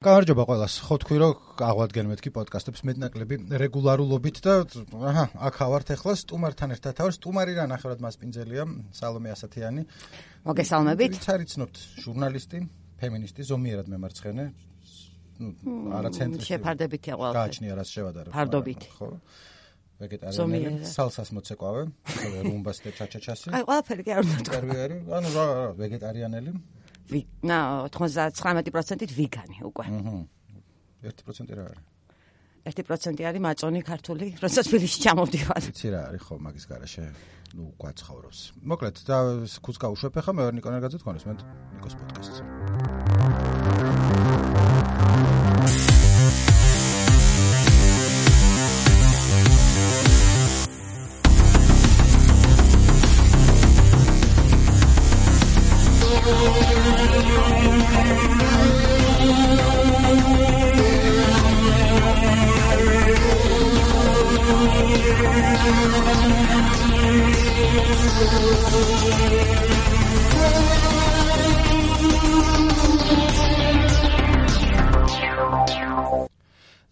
გამარჯობა ყველას. ხო თქვი რომ აღვადგენ მეთქი პოდკასტებს მეტნაკლები რეგულარულობით და აქ ავართ ახლა სტუმართან ერთად ავარ. სტუმარი რა ნახევრად მასპინძელია სალომე ასათიანი. მოგესალმებით. ვიცარიცნობთ ჟურნალისტი, ფემინისტი, ზომიერად მემარცხენე. არა ცენტრი. შეფარდებითია ყველაფერი. გააჩნია რაც შევადარო. ფარდობით. ხო. ვეგეტარიანელი, სალსას მოცეკვავე, რუმბას და ჩაჩაჩასი. აი ყველაფერი კი არ უნდა თქვა. ინტერვიუერი, ანუ რა ვეგეტარიანელი. 99%-ით ვიგანი უკვე. 1% რა არის? 1% არის მაწონი ქართული, როდესაც თბილისში ჩამოვდივარ. იცი რა არის ხო მაგის garaშე? ნუ გვაცხოვრობს. მოკლედ და ქუც გავუშვებ ახლა მე ვარ ნიკო ნერგაძე თქვენს მე ნიკოს პოდკასტზე.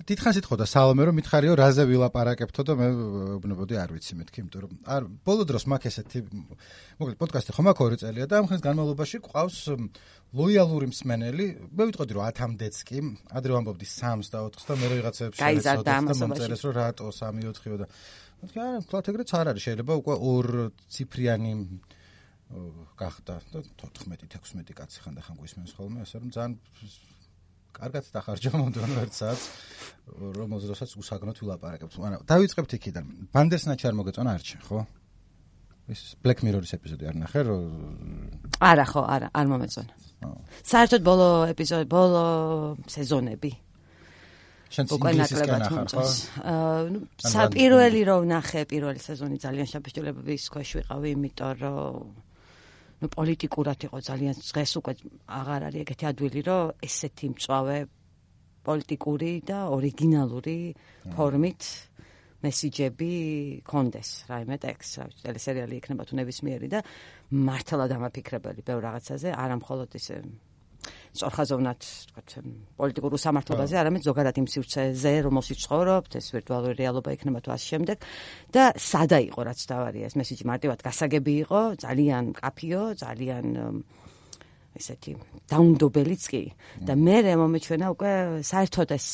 დიდხანს ითხოვდა სალომე რომ მითხარიო რაზე ვილაპარაკებთო და მე უბნებოდი არ ვიცი მეთქი იმიტომ რომ არ ბოლო დროს მაქვს ესეთი მოკლედ პოდკასტი ხომ აქ 2 წელია და ამ ხნის განმავლობაში ყავს ლოიალური მსმენელი მე ვიტყოდი რომ 10-მდეც კი ადრე ვამბობდი 3-ს და 4-ს და მე რაღაცებს შევეცოდი და მომწერეს რომ რატო 3-4-ო და მეთქი არა თქვათ ეგრეც არ არის შეიძლება უკვე 2 ციფრიანი გახდა და 14-16 კაცი ხან და ხან გვისმენს ხოლმე ასე რომ ძალიან კარგად დახარჯა მომდევნო 1 საათს რომელზეც უსაგნოდ ვილაპარაკებთ. მაგრამ დავიწყებთ იქიდან. ბანდერსნაჩი არ მოგეწონა არჩენ, ხო? ეს Black Mirror-ის ეპიზოდი არ ნახე, რომ არა ხო, არა, არ მომეწონა. საერთოდ ბოლო ეპიზოდი, ბოლო სეზონები. შენ ინგლისისკენ ახარ, ხო? პირველი რომ ნახე, პირველი სეზონი ძალიან შაბეშტილებების ქვეშ ვიყავი, იმიტომ რომ პოლიტიკურად იყო ძალიან დღეს უკვე აღარ არის ეგეთი ადვილი რომ ესეთი მწვავე პოლიტიკური და ორიგინალური ფორმით მესიჯები კონდეს რაიმე ტექსტ ტელესერიალი იქნება თუ ნებისმიერი და მართლა დამაფიქრებელი ბევრ რაღაცაზე არა მხოლოდ ისე სწორხაზოვნად თქვათ პოლიტიკურ უსამართლობაზე არამედ ზოგადად იმ სივრცეზე რომელშიც ცხოვრობთ ეს ვირტუალური რეალობა იქნება თუ ასე შემდეგ და სადა იყო რაც დავარია ეს მესიჯი მარტივად გასაგები იყო ძალიან მკაფიო ძალიან ესეთი დაუნდობელიც კი და მე მომეჩვენა უკვე საერთოდ ეს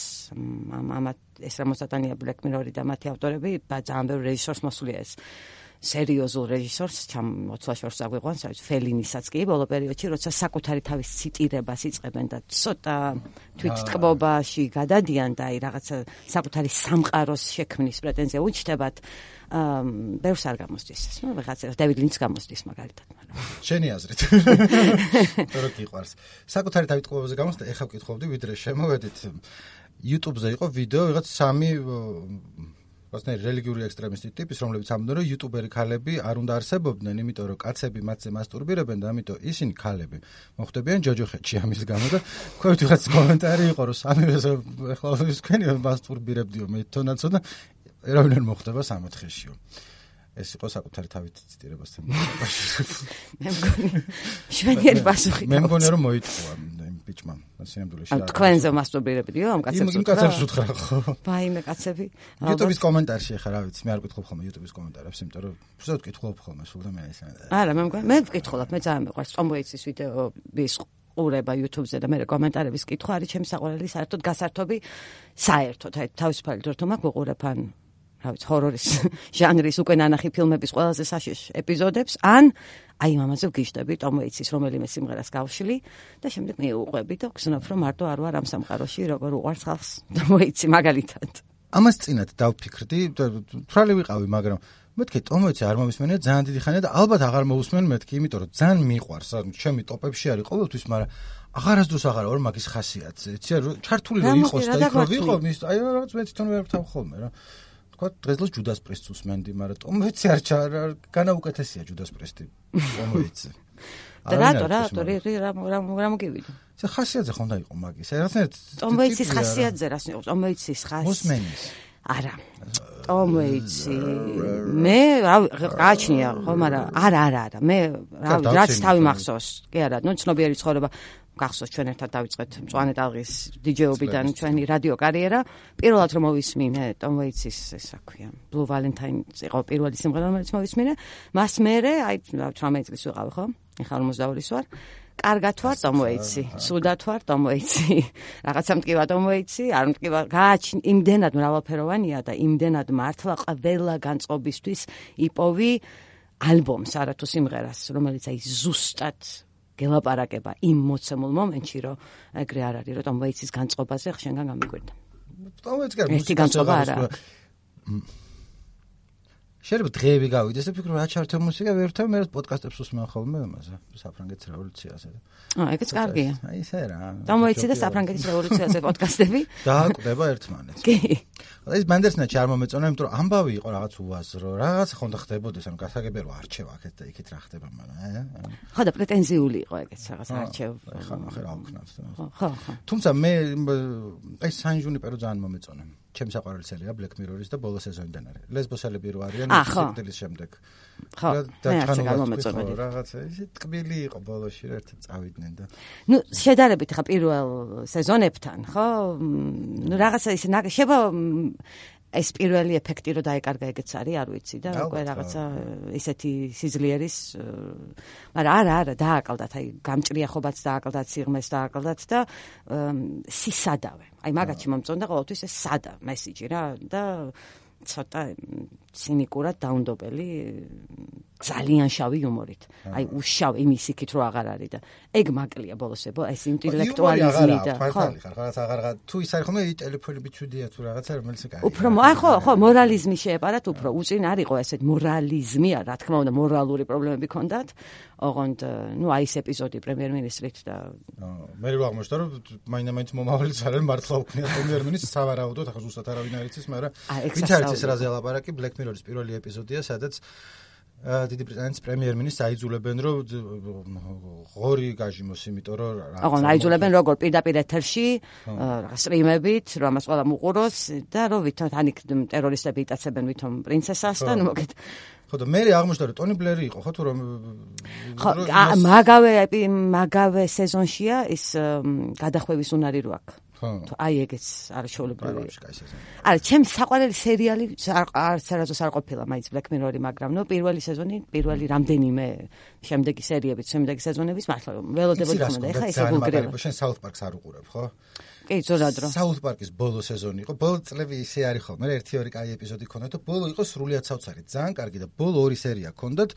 რამოსატანია Black Mirror-ი და მათი ავტორები ძალიან ბევრ რეჟისორს მოსვლია ეს სერიოზულ რეჟისორს მოცლაშორს აგვიყვანს, რაც ფელინისაც კი ბოლო პერიოდში, როცა საკუთარი თავის ციტირებას იწყებენ და ცოტა თვითტკბობაში გადადიან და აი რაღაცა საკუთარი სამყაროს შექმნის პრეტენზია უჩნდებათ, ბევრს არ გამოსდის. ნუ რაღაცა დევიდ ლინჩს გამოსდის მაგალითად, მაგრამ შენი აზრით. თორე გიყვარს. საკუთარი თავიტკბობაზე გამოსდა, ეხლა ვკითხავდი, ვიდრე შემოვედით YouTube-ზე იყო ვიდეო, ვიღაც 3 ასნაირ რელიგიური ექსტრემისტი ტიპის, რომლებიც ამბობენ, რომ იუტუბერი ქალები არ უნდა არსებობდნენ, იმიტომ რომ კაცები მათზე მასტურბირებენ და ამიტომ ისინი ქალები მოხვდებიან ჯოჯოხეთში ამის გამო და ქვევით ვიღაც კომენტარი იყო, რომ სამივეს ახლა თქვენი მასტურბირებდიო მე თონაცო და ერავინ არ მოხვდება 3-4-შიო. ეს იყო საკუთარი თავით ციტირებასთან. მე მგონი შვენიერი პასუხი. მე მგონი რომ მოიტყვა იმ ბიჭმა სინამდვილეში რა. თქვენზე მასტურბირებდიო ამ კაცებს? იმ კაცებს უთხრა ხო? ბაიმე კაცები. YouTube-ის კომენტარში ახლა რა ვიცი, მე არ ვკითხულობ ხოლმე YouTube-ის კომენტარებს, იმიტომ რომ უბრალოდ ვკითხულობ ხოლმე სულ და მე ეს. არა, მე მგონი მე ვკითხულობ, მე ძალიან მიყვარს Tom Waits-ის ვიდეოების ყურება YouTube-ზე და მე კომენტარების კითხვა არის ჩემი საყვარელი საერთოდ გასართობი საერთოდ აი თავისუფალი დროთა მაქვს ვიყურებ ან რა ვიცი ჰორორის ჟანრის უკვე ნანახი ფილმების ყველაზე საშიშ ეპიზოდებს ან აი ამაზე ვგიჟდები Tom Waits-ის რომელიმე სიმღერას გავშლი და შემდეგ მიუყვები და ვგზნობ რომ მარტო არ ვარ ამ სამყაროში როგორ უყვარს ხალხს Tom Waits-ი მაგალითად. ამას წინათ დავფიქრდი, თვრალი ვიყავი, მაგრამ მეთქი Tom Waits-ი არ მომისმენია ძალიან დიდი ხანია და ალბათ აღარ მოусმენ მეთქი, იმიტომ რომ ძალიან მიყვარს, ჩემი ტოპებში არის ყოველთვის, მაგრამ აღარასდროს აღარა ვარ მაგის ხასიათზე. იცი რა, ჩართული რო იყოს და იქ რო ვიყო, აი რაღაც მე თვითონ ვერ ვთავ ხოლმე რა. თქვა დღესდღეს ჯუდას პრესტს უსმენდი, მაგრამ Tom Waits-ი არ განაუკეთესია ჯუდას პრესტი Tom Waits-ი. და რატო რა მოგივიდა? ეს ხასიათზე ხომ და იყო მაგის. რაღაცნაირად Tom Waits-ის ხასიათზე რას იყო? Tom Waits-ის მოსმენის. არა. Tom Waits-ი მე გააჩნია ხო, მაგრამ არა. მე რაც თავი მახსოვს. კი არა, ნუ ცნობიერი ცხოვრება გახსოვს ჩვენ ერთად დავიწყეთ მწვანე ტალღის დიჯეობიდან ჩვენი რადიო კარიერა. პირველად რომ მოვისმინე Tom Waits-ის ესა ქვია Blue Valentine იყო პირველი სიმღერა რომელიც მოვისმინე. მას მერე აი 18 წლის ვიყავი ხო? ეხლა 42-ის ვარ. კარგად ვარ Tom Waits-ი, სუდად ვარ Tom Waits-ი. რაღაცა მტკივა Tom Waits-ი, არ მტკივა, იმდენად მრავალფეროვანია და იმდენად მართლა ყველა განწყობისთვის იპოვი ალბომს, არა თუ სიმღერას, რომელიც აი ზუსტად გელაპარაკება იმ მოცემულ მომენტში, რომ ეგრე არ არის, რომ Tom Waits-ის განწყობაზე ხშენგან გამიგვირდა. Tom Waits-ი ერთი განწყობა არა. შეიძლება დღეები გავიდეს და ფიქრობ რა ჩართო მუსიკა ვერ ვთავ მე პოდკასტებს უსმენ ხოლმე ამაზე საფრანგეთის რევოლუციაზე. ეგეც კარგია. აი ესე რა. Tom Waits-ი და საფრანგეთის რევოლუციაზე პოდკასტები დააკვდება ერთმანეთს. კი. ეს ბანდერსნაჩი არ მომეწონა, იმიტომ რომ ამბავი იყო რაღაც უაზრო, რაღაც ხონდა ხდებოდეს, ანუ გასაგებია რომ არჩევა აქეთ და იქით რა ხდება, მაგრამ ხო და პრეტენზიული იყო ეგეც რაღაც არჩევ. ხა ნახე რა ვქნათ. ხო. თუმცა მე აი San Junipero ძალიან მომეწონა. ჩემი საყვარელი სერია Black Mirror-ის და ბოლო სეზონიდან არის. ლესბოსელები რო არიან სიკვდილის შემდეგ. ხო. და ჩანმოწონილი. რაღაცა ისე ტკბილი იყო ბოლოში ერთად წავიდნენ და. ნუ შედარებით ხა პირველ სეზონებთან, ხო? ნუ რაღაცა ისე შევა ეს პირველი ეფექტი რო დაეკარგა ეგეც არის, არ ვიცი და უკვე რაღაცა ისეთი სიძლიერის მაგრამ არა დააკლდათ, აი გამჭრიახობაც დააკლდათ, სიღმეს დააკლდათ და სისადავე. აი მაგათი მომწონდა ყოველთვის ეს სადა მესიჯი რა და ცოტა ცინიკურად დაუნდობელი ძალიან შავი იუმორით. აი უშავ იმის იქით რო აღარ არის და ეგ მაკლია ბოლოსებო ეს ინტელექტუალიზმი და ხო რაღაც აღარ თუ ის არის ხომ ტელეფონები ჩუდია თუ რაღაცა რომელიც კაი. უფრო აი ხო მორალიზმი შეეპარათ უფრო უწინ არისო ესეთ მორალიზმი რა თქმა უნდა მორალური პრობლემები ქონდათ. ოღონდ ნუ აი ეს ეპიზოდი პრემიერ-მინისტრით და მე რა აღმოჩნდა რომ მაინც მომავალიც არიან მართლა უქნია პრემიერ-მინისტრს სავარაუდოდ ახლა ზუსტად არავინ არ იცის მაგრამ ვით არის ეს რაზე ლაპარაკი Black Mirror-ის პირველი ეპიზოდია სადაც დიდი ბრიტანეთის პრემიერ-მინისტრს აიძულებენ რომ ღორი გაჟიმოს იმიტომ რომ აღონ აიძულებენ როგორ პირდაპირ ეთერში სტრიმებით რომ ამას ყველა მოყუროს და რომ ვითომ თანიქ ტერორისტები იტაცებენ ვითომ პრინცესას და ნუ მოგეთ ხო და მე აღმოჩნდა რომ ტონი ბლერი იყო ხო თუ რომ ხო მაგავე სეზონშია ის გადახვევის უნარი რო აქვს აი ეგეც არის შეუძლებელი. არა, ჩემს საყვარელი სერიალი არც არასდროს არ ყოფილა მაინც Black Mirror-ი, მაგრამ ნუ პირველი სეზონი, პირველი რამდენიმე შემდეგი სერიებიც, შემდეგი სეზონების მართლა ველოდებოდი ხომ და ეხა ესე გულგრევა. შენ South Park-ს არ უყურებ, ხო? კი, ზოგადად. South Park-ის ბოლო სეზონი იყო. ბოლო წლები ისე არის ხოლმე, 1-2 კაი ეპიზოდი ქონდათ და ბოლო იყო სრულიად საოცარი. ძალიან კარგი და ბოლო 2 სერია ქონდათ.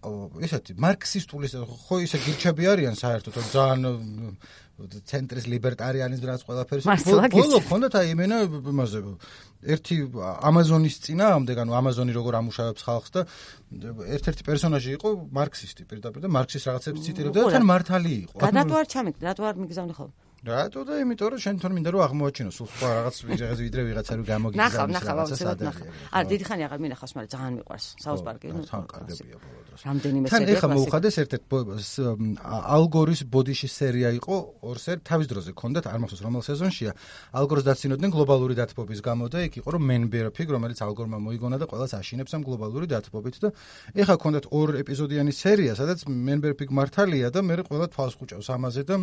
ესეთი მარქსისტული ხო ისე გირჩები არიან საერთოდ ძალიან ცენტრის ლიბერტარიანიზმი რაც ყველაფერს ბოლო ხონდათ აი იმენა იმაზე ერთი ამაზონის წინააღმდეგ ანუ ამაზონი როგორ ამუშავებს ხალხს და ერთ-ერთი პერსონაჟი იყო მარქსისტი პირდაპირ და მარქსის რაღაცებს ციტირებდა და თან მართალი იყო. რატო არ ჩამიგდ, რატო არ მიგზავნე ხოლმე? რატო და იმიტომ რომ შენ თვითონ მინდა რომ აღმოაჩინო სულ სხვა რაღაც ვიდრე ვიღაცა რო გამოგიგზავნის რაღაცას ადრე. არა დიდი ხანი აღარ მინახავს, მაგრამ ძალიან მიყვარს South Park-ი. თან კარგია ბოლო დროს. რამდენიმე სერია. თან ეხა მოუხადეს ერთ-ერთ ალგორის ბოდიში სერია იყო ორსერ თავის დროზე ქონდათ არ მახსოვს რომელ სეზონშია. ალგორს დაცინოდნენ გლობალური დათბობის გამო და იქ იყო რომ Man Bear Pig რომელიც ალგორმა მოიგონა და ყველას აშინებს ამ გლობალური დათბობით და ეხა ქონდათ 2 ეპიზოდიანი სერია სადაც Man Bear Pig მართალია და მე ყველა თვალს ხუჭავს ამაზე და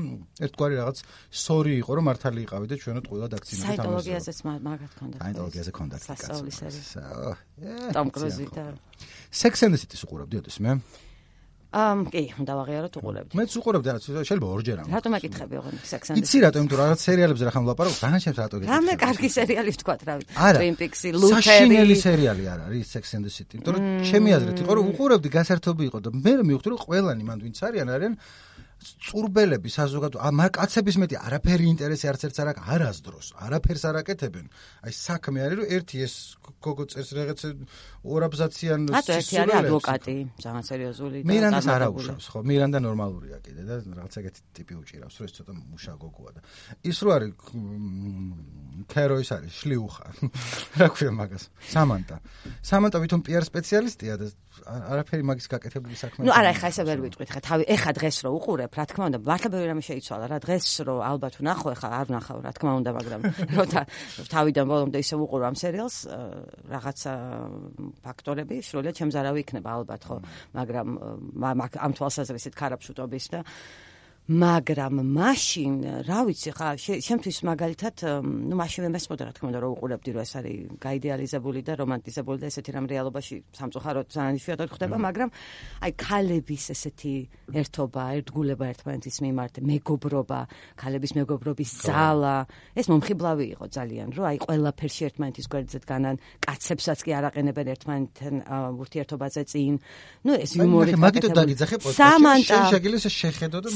ერთგვარი რაღაც სორი იყო რომ მართალი იყავი და ჩვენო ყველა დაქცინებით ამაზე. საიტოლოგიაზეც მაგათ ქონდა. საიტოლოგიაზე ქონდათ სასწაულის სერია. Tom Cruise და Sex and the City-ს უყურებდი ოდეს მე? კი, უნდა ვაღიაროთ უყურებდი. მეც უყურებდი, შეიძლება ორჯერ ამ. რატომ აკითხები ოღონდ Sex and the City? იცი რატომ, იმიტომ რომ რაღაც სერიალებზე რა ხომ ვლაპარაკობ, ძალიან ჩემს რატო გეკითხები. რამე კარგი სერიალი ვთქვათ რა ვიცი. Twin Peaks-ი, Luther-ი. საშინელი სერიალი არ არის Sex and the City, იმიტომ რომ ჩემი აზრით იყო რომ უყურებდი გასართობი იყო და მე მივხვდი რომ ყველანი მანდ ვინც არიან წურბელები საზოგადო კაცების მეტი არაფერი ინტერესი არც ერთს არ აქვს არასდროს არაფერს არ აკეთებენ აი საქმე არის რომ ერთი ეს გოგო წერს რაღაც ორაბზაციან სისულელებს ერთი არის ადვოკატი ძალიან სერიოზული და მირანდას არ აუშავს ხო მირანდა ნორმალურია კიდე და რაღაც ეგეთი ტიპი უჭირავს რომ ეს ცოტა მუშა გოგოა და ის რო არის ქეროის არის შლიუხა რა ქვია მაგას სამანტა ვითომ პიარ სპეციალისტია და არაფერი მაგის გაკეთებული საქმე ნუ არა ეხა ესე ვერ ვიტყვით ხა თავი ეხა დღეს რო უყურებ რა თქმა უნდა მართლა ბევრი რამე შეიცვალა რა დღეს რო ალბათ ვნახო ეხა არ ვნახავ რა თქმა უნდა მაგრამ როცა თავიდან ბოლომდე ისე უყურო ამ სერიალს რაღაცა ფაქტორები სრულიად ჩემს არავი იქნება ალბათ ხო მაგრამ ამ თვალსაზრისით ქარაფშუტობის და მაგრამ მაშინ რა ვიცი ხა შემთთვის მაგალითად ნუ მაშინ მესმოდა რა თქმა უნდა რომ უყურებდი რომ ეს არის გაიდეალიზებული და რომანტიზებული და ესეთი რამ რეალობაში სამწუხაროდ ძალიან იშვიათად ხდება მაგრამ აი ქალების ესეთი ერთობა ერთგულება ერთმანეთის მიმართ მეგობრობა ქალების მეგობრობის ძალა ეს მომხიბლავი იყო ძალიან რომ აი ყველაფერში ერთმანეთის გვერდზე დგანან კაცებსაც კი არ აყენებენ ერთმანეთთან ურთიერთობაზე წინ ნუ ეს იუმორი მაგითო დაგიძახე პოდკასტში შეგიძლია შეხედო და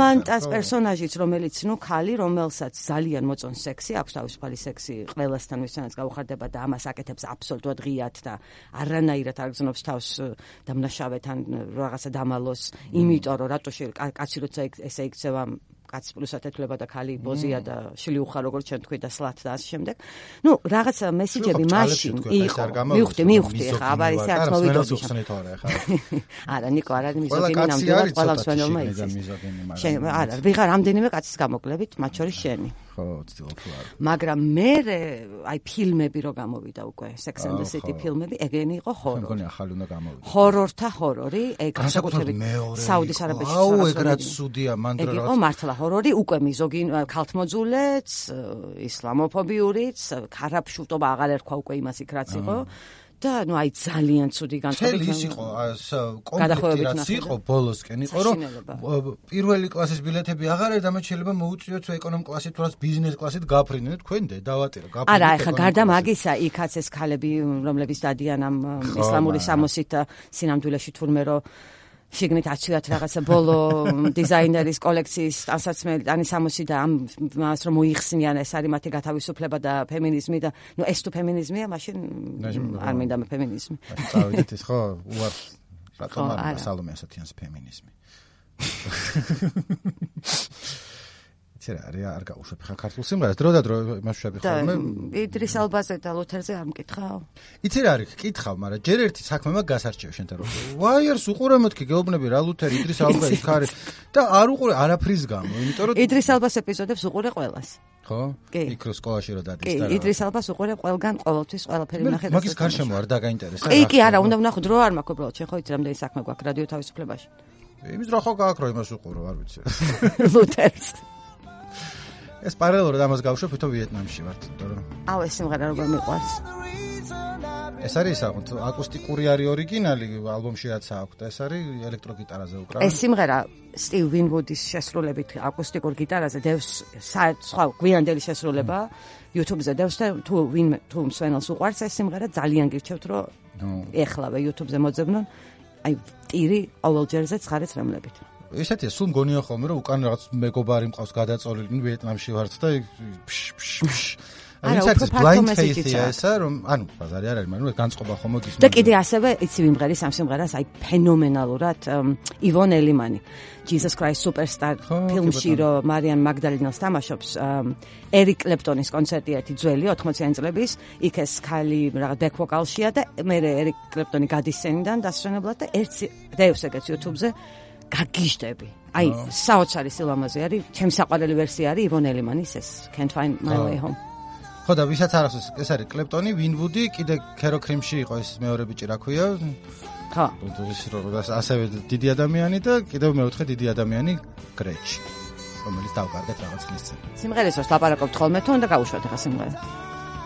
სამანტას პერსონაჟიც რომელიც ნუ ქალი რომელსაც ძალიან მოწონს სექსი აქვს თავისუფალი სექსი ყველასთან ვისთანაც გაუხარდება და ამას აკეთებს აბსოლუტურად ღიად და არანაირად არ გზნობს თავს დამნაშავეთან რაღაცა დამალოს იმიტომ რომ რატო კაცი როცა ესე იქცევა კაც პლუსად ეთვლება და ქალი ბოზია და შლიუხა როგორც ჩვენ თქვი და სლათ და ასე შემდეგ. ნუ რაღაცა მესიჯები მაშინ იყო. მივხვდი ხა აბა ისე არც მოვიდოდი. არა ნიკო არ არის მიზოგინი ნამდვილად ყველა მსვენელმა იცის. არა ვიღარ რამდენიმე კაცის გამოკლებით მათ შორის შენი. ხო ცდილობ რა. მაგრამ მე აი ფილმები რო გამოვიდა უკვე Sex and the City ფილმები ეგენი იყო ჰორორი. მგონი ახალი უნდა გამოვიდა. ჰორორთა ჰორორი ეგ საკუთრებით საუდის არაბეთში აუ ეგ რაც სუდია მანდრა რა. ეგ იყო მართლა ჰორორი უკვე მიზოგინ ქალთმოძულეც ისლამოფობიურიც ქარაფშუტობა აღარ ერქვა უკვე იმას იქ რაც იყო. და ნუ აი ძალიან ცუდი განწყობი ის იყო კონფლიქტი რაც იყო ბოლოსკენ იყო რომ პირველი კლასის ბილეთები აღარ არის და მე შეიძლება მოუწიოთ ეკონომ კლასით თუ რაც ბიზნეს კლასით გაფრინდეთ თქვენ დავატირო გაფრინდეთ არა ეხა გარდა მაგისა იქაც ეს ქალები რომლებიც დადიან ამ ისლამური სამოსით სინამდვილეში თურმე რომ შიგნით აცილათ რაღაცა ბოლო დიზაინერის კოლექციის ტანსაცმელი ტანის სამოსი და ამას რომ მოიხსნიან ეს არის მათი გათავისუფლება და ფემინიზმი და ნუ ეს თუ ფემინიზმია მაშინ არ მინდა მე ფემინიზმი წავიდეთ ის ხო უარს რატომ არ სალომე ასათიანს ფემინიზმი არ გაუშვებ ხა ქართულ სიმღერას დრო და დრო იმას ვშები ხოლმე იდრის ალბაზე და ლუთერზე არ მკითხავ იცი რა არის კითხავ მაგრამ ჯერ ერთი საქმე მაგ გასარჩევ შენთან რომ ვაიერს უყურე მეთქი გეუბნები რა ლუთერი იდრის ალბა იქ არის და არ უყურე არაფრის გამო იმიტომ რომ იდრის ალბას ეპიზოდებს უყურე ყველას ხო იქ რო სკოლაში რო დადის და იდრის ალბას უყურე ყველგან ყოველთვის ყველაფერი ნახე მაგის გარშემო არ დაგაინტერესა კი არა უნდა ვნახო დრო არ მაქვს უბრალოდ შენ ხო იცი რამდენი საქმე გვაქვს რადიო თავისუფლებაში იმის რა ხო გააქვს რომ იმას უყურო არ ვიცი ლუთერს ეს პარალელურად ამას გავშვებ, თვითონ ვიეტნამში ვართ, იმიტომ რომ აუ ეს სიმღერა როგორ მიყვარს. ეს არის აკუსტიკური არის ორიგინალი, ალბომში რაც აქვს და ეს არის ელექტროგიტარაზე უკრავენ. ეს სიმღერა სტივ ვინვუდის შესრულებით აკუსტიკურ გიტარაზე დევს სხვა გვიანდელი შესრულება YouTube-ზე დევს და თუ მსვენელს უყვარს ეს სიმღერა ძალიან გირჩევთ რომ ეხლავე YouTube-ზე მოძებნონ აი ტირი ყოველჯერზე ცხარեց რემლებით. ესეთია სულ მგონია ხოლმე რომ უკან რაღაც მეგობარი მყავს გადაწოლილი ვიეტნამში ვართ და არა უფრო blind face-ია ესა რომ ანუ ბაზარი არ არის მაგრამ განწყობა ხომ მოგის და კიდე ასევე იცი ვიმღერის ამ სიმღერას აი ფენომენალურად ივონ ელიმანი Jesus Christ Superstar ფილმში რომ მარიან მაგდალინას თამაშობს ერიკ კლეპტონის კონცერტი ერთი ძველი 80-იანი წლების იქ ეს ქალი რაღაც back vocal-შია და მე ერიკ კლეპტონი გადის სცენიდან დასვენებლად და ერთი დევს ეგეც YouTube-ზე გაგიჟდები. აი, საოცარი სილამაზე არის, ჩემი საყვარელი ვერსია არის ივონ ელიმანის ეს Can't Find My Way Home. ხო და ვისაც არ ახსოვს, ეს არის კლეპტონი, ვინვუდი, კიდე ქერო კრიმში იყო ეს მეორე ბიჭი რა ქვია? ხო. ასევე დიდი ადამიანი და კიდევ მეოთხე დიდი ადამიანი გრეჩი, რომელიც დავკარგეთ რაღაც ხნის წინ. სიმღერის დროს ლაპარაკობთ ხოლმე თუ უნდა გავუშვათ ახლა სიმღერა?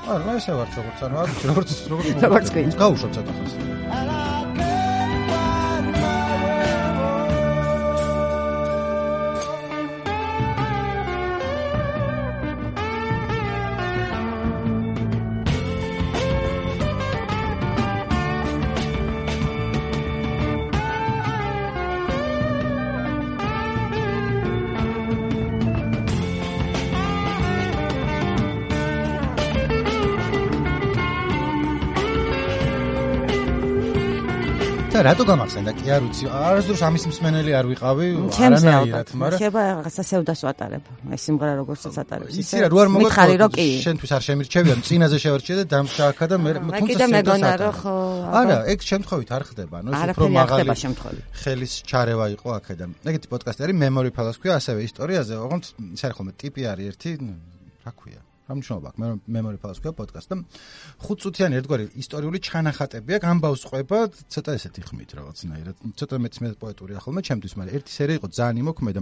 არა, ესე ვარ როგორც არ ვიცი, როგორც გავუშვათ ცოტა ხანს. რატო გამახსენდა კი არ ვიცი არასდროს ამის მსმენელი არ ვიყავი არანაირად მაგრამ შეიძლება რაღაცა სევდას ვატარებ ეს სიმღერა როგორცაც ატარებს იცი რა რო არ მოგოწონს შენთვის არ შემირჩევია წინაზე შევარჩიე და დამშააქა და მე თუმცა მეგონა რომ ხო არა ეგ შემთხვევით არ ხდება ანუ ეს უფრო მაღალი ხელის ჩარევა იყო აქედან ეგეთი პოდკასტი არის memory palace ქვია ასევე ისტორიაზე ოღონდ ის არის ხოლმე ტიპი არის ერთი რა ქვია რა მნიშვნელობა აქვს? Memory Palace ქვია პოდკასტი და 5 წუთიანი ერთგვარი ისტორიული ჩანახატები აქვს, ამბავს ყვება ცოტა ესეთი ხმით რაღაცნაირად. ცოტა მეც პოეტური ახალმა ჩემთვის, მაგრამ ერთი სერია იყო ძალიან იმოქმედა.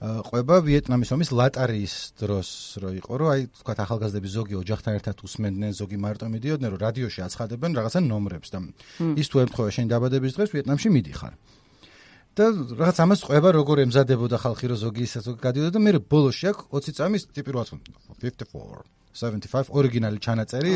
ყვება ვიეტნამის ომის ლატარიის დროს რო იყო, რომ აი თქვა ახალგაზრდები ზოგი ოჯახთან ერთად უსმენდნენ, ზოგი მარტო მიდიოდნენ, რომ რადიოში აცხადებენ რაღაცა ნომრებს და ის თუ ემთხვევა შენ დაბადების დღეს ვიეტნამში მიდიხარ. და რაღაც ამას ყვება როგორ ემზადებოდა ხალხი რო ზოგი ისე ზოგი გადიოდა და მე ბოლოში აქ 20 წამის ტიპი რო აცვენ 54 75 ორიგინალი ჩანაწერი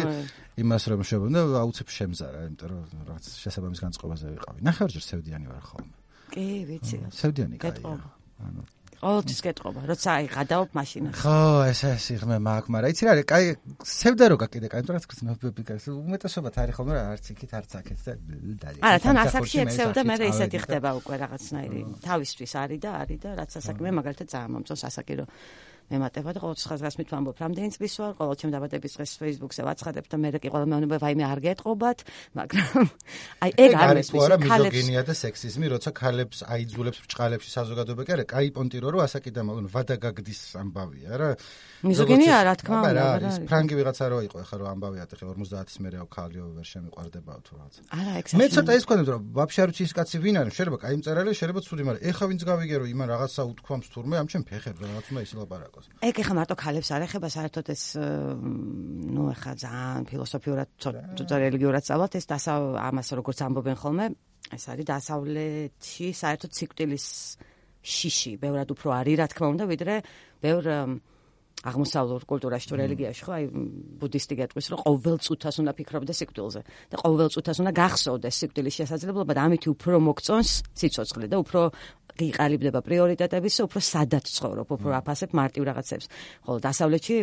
იმას რომ შევნა აუცებ შემზარა, იმიტომ რომ რაღაც შესაბამის განწყობაზე ვიყავი. ნახევარჯერ სევდიანი ვარ ხოლმე. კი, ვიცი. სევდიანი კაია. ანუ ყოველთვის გეტყობა, როცა აი გადავობ მაშინაში. ხო, ეს იღმე მაქვს, მაგრამ იცი რა არის, კაი, სევდა რო გაკიდე, კაი, რაც ქცნობები კაი, უმეტესობათ არის ხოლმე რა, არც იქით, არც აქეთ და დაი. არა, თან ასაკში ექცევდა, მე ისეთი ხდება უკვე რაღაცნაირი. თავისთვის არის და რაც ასაკი მე მაგალითად ძალიან მომწონს ასაკი რომ მემატება და ყოველთვის ხაზგასმით ვამბობ, რამდენი წლის ვარ, ყოველ ჩემ დაბადების დღეს Facebook-ზე ვაცხადებ და მე კი ყველა მეუბნება, ვაიმე არ გეტყობათ, მაგრამ აი ეგ არ მესმის, მიზოგინია და სექსიზმი, როცა ქალებს აიძულებს ბრჭყალებში საზოგადოება კი არა, კაი პონტი რო ასაკიდან მოგონ ვადაგაგდის ამბავია რა. მიზოგინია რა თქმა უნდა, არა, ის ფრანგი ვიღაცა რო იყო, ახლა რო ამბავია, ხე 50-ის მერე ქალიო ვერ შემიყვარდებაო თუ რაღაც. არა, ეგ მე ცოტა ის გქონდა რომ ვაფშე არ ვიცი ის კაცი ვინ არის, შეიძლება კაი მწერალი, შეიძლება ცუდი, მაგრამ ეხა ვინც გავიგე რომ იმან რაღაცა უთქვამს თურმე, ამ ჩემ ფეხებს რაღაცა ის ლაპარაკოს. ეგ ეხა მარტო ქალებს არ ეხება, საერთოდ ეს ნუ ეხა ძალიან ფილოსოფიურად ცოტა რელიგიურად სწავლობთ ეს ამას როგორც ამბობენ ხოლმე, ეს არის დასავლეთში საერთოდ სიკვდილის შიში, ბევრად უფრო არის რა თქმა უნდა, ვიდრე ბევრ აღმოსავლურ კულტურაში თუ რელიგიაში ხო, აი ბუდისტი გეტყვის, რომ ყოველ წუთას უნდა ფიქრობდეს სიკვდილზე და ყოველ წუთას უნდა გახსოვდეს სიკვდილის შესაძლებლობა და ამით უფრო მოგწონს სიცოცხლე და უფრო გიყალიბდება პრიორიტეტების, უფრო სადაც ცხოვრობ, უფრო აფასებ მარტივ რაღაცებს. ხოლო დასავლეთში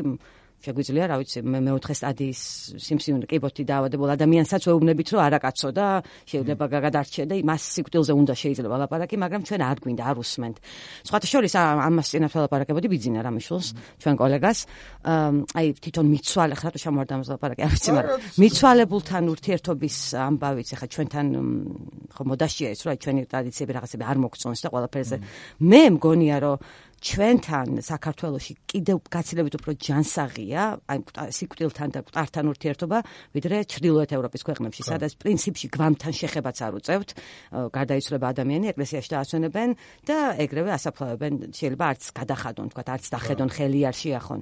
შეგვიძლია, რა ვიცი, მეოთხე სტადიის სიმსივნე კიბოთი დაავადებულ ადამიანსაც ვეუბნებით, რომ არა კაცო და შეიძლება გადარჩე და მას სიკვდილზე უნდა შეიძლება ლაპარაკი, მაგრამ ჩვენ არ გვინდა, არ უსმენთ. სხვათა შორის ამას წინათ ლაპარაკებოდი ბიძინა რამიშვილს, ჩვენ კოლეგას, აი თვითონ მიცვალე, ხა რატო შემოვარდა ამას ლაპარაკი, არ ვიცი, მაგრამ მიცვალებულთან ურთიერთობის ამბავიც ახლა ჩვენთან ხო მოდაშია ის, რომ აი ჩვენი ტრადიციები რაღაცები არ მოგწონს და ყველაფერზე. მე მგონია, რომ ჩვენთან საქართველოში კიდევ გაცილებით უფრო ჯანსაღია, აი სიკვდილთან და მკვდართან ურთიერთობა, ვიდრე ჩრდილოეთ ევროპის ქვეყნებში, სადაც პრინციპში გვამთან შეხებაც არ უწევთ, გარდაიცვლება ადამიანი, ეკლესიაში დაასვენებენ და ეგრევე ასაფლავებენ, შეიძლება არც გადახადონ, თქვა, არც დახედონ, ხელი არ შეახონ.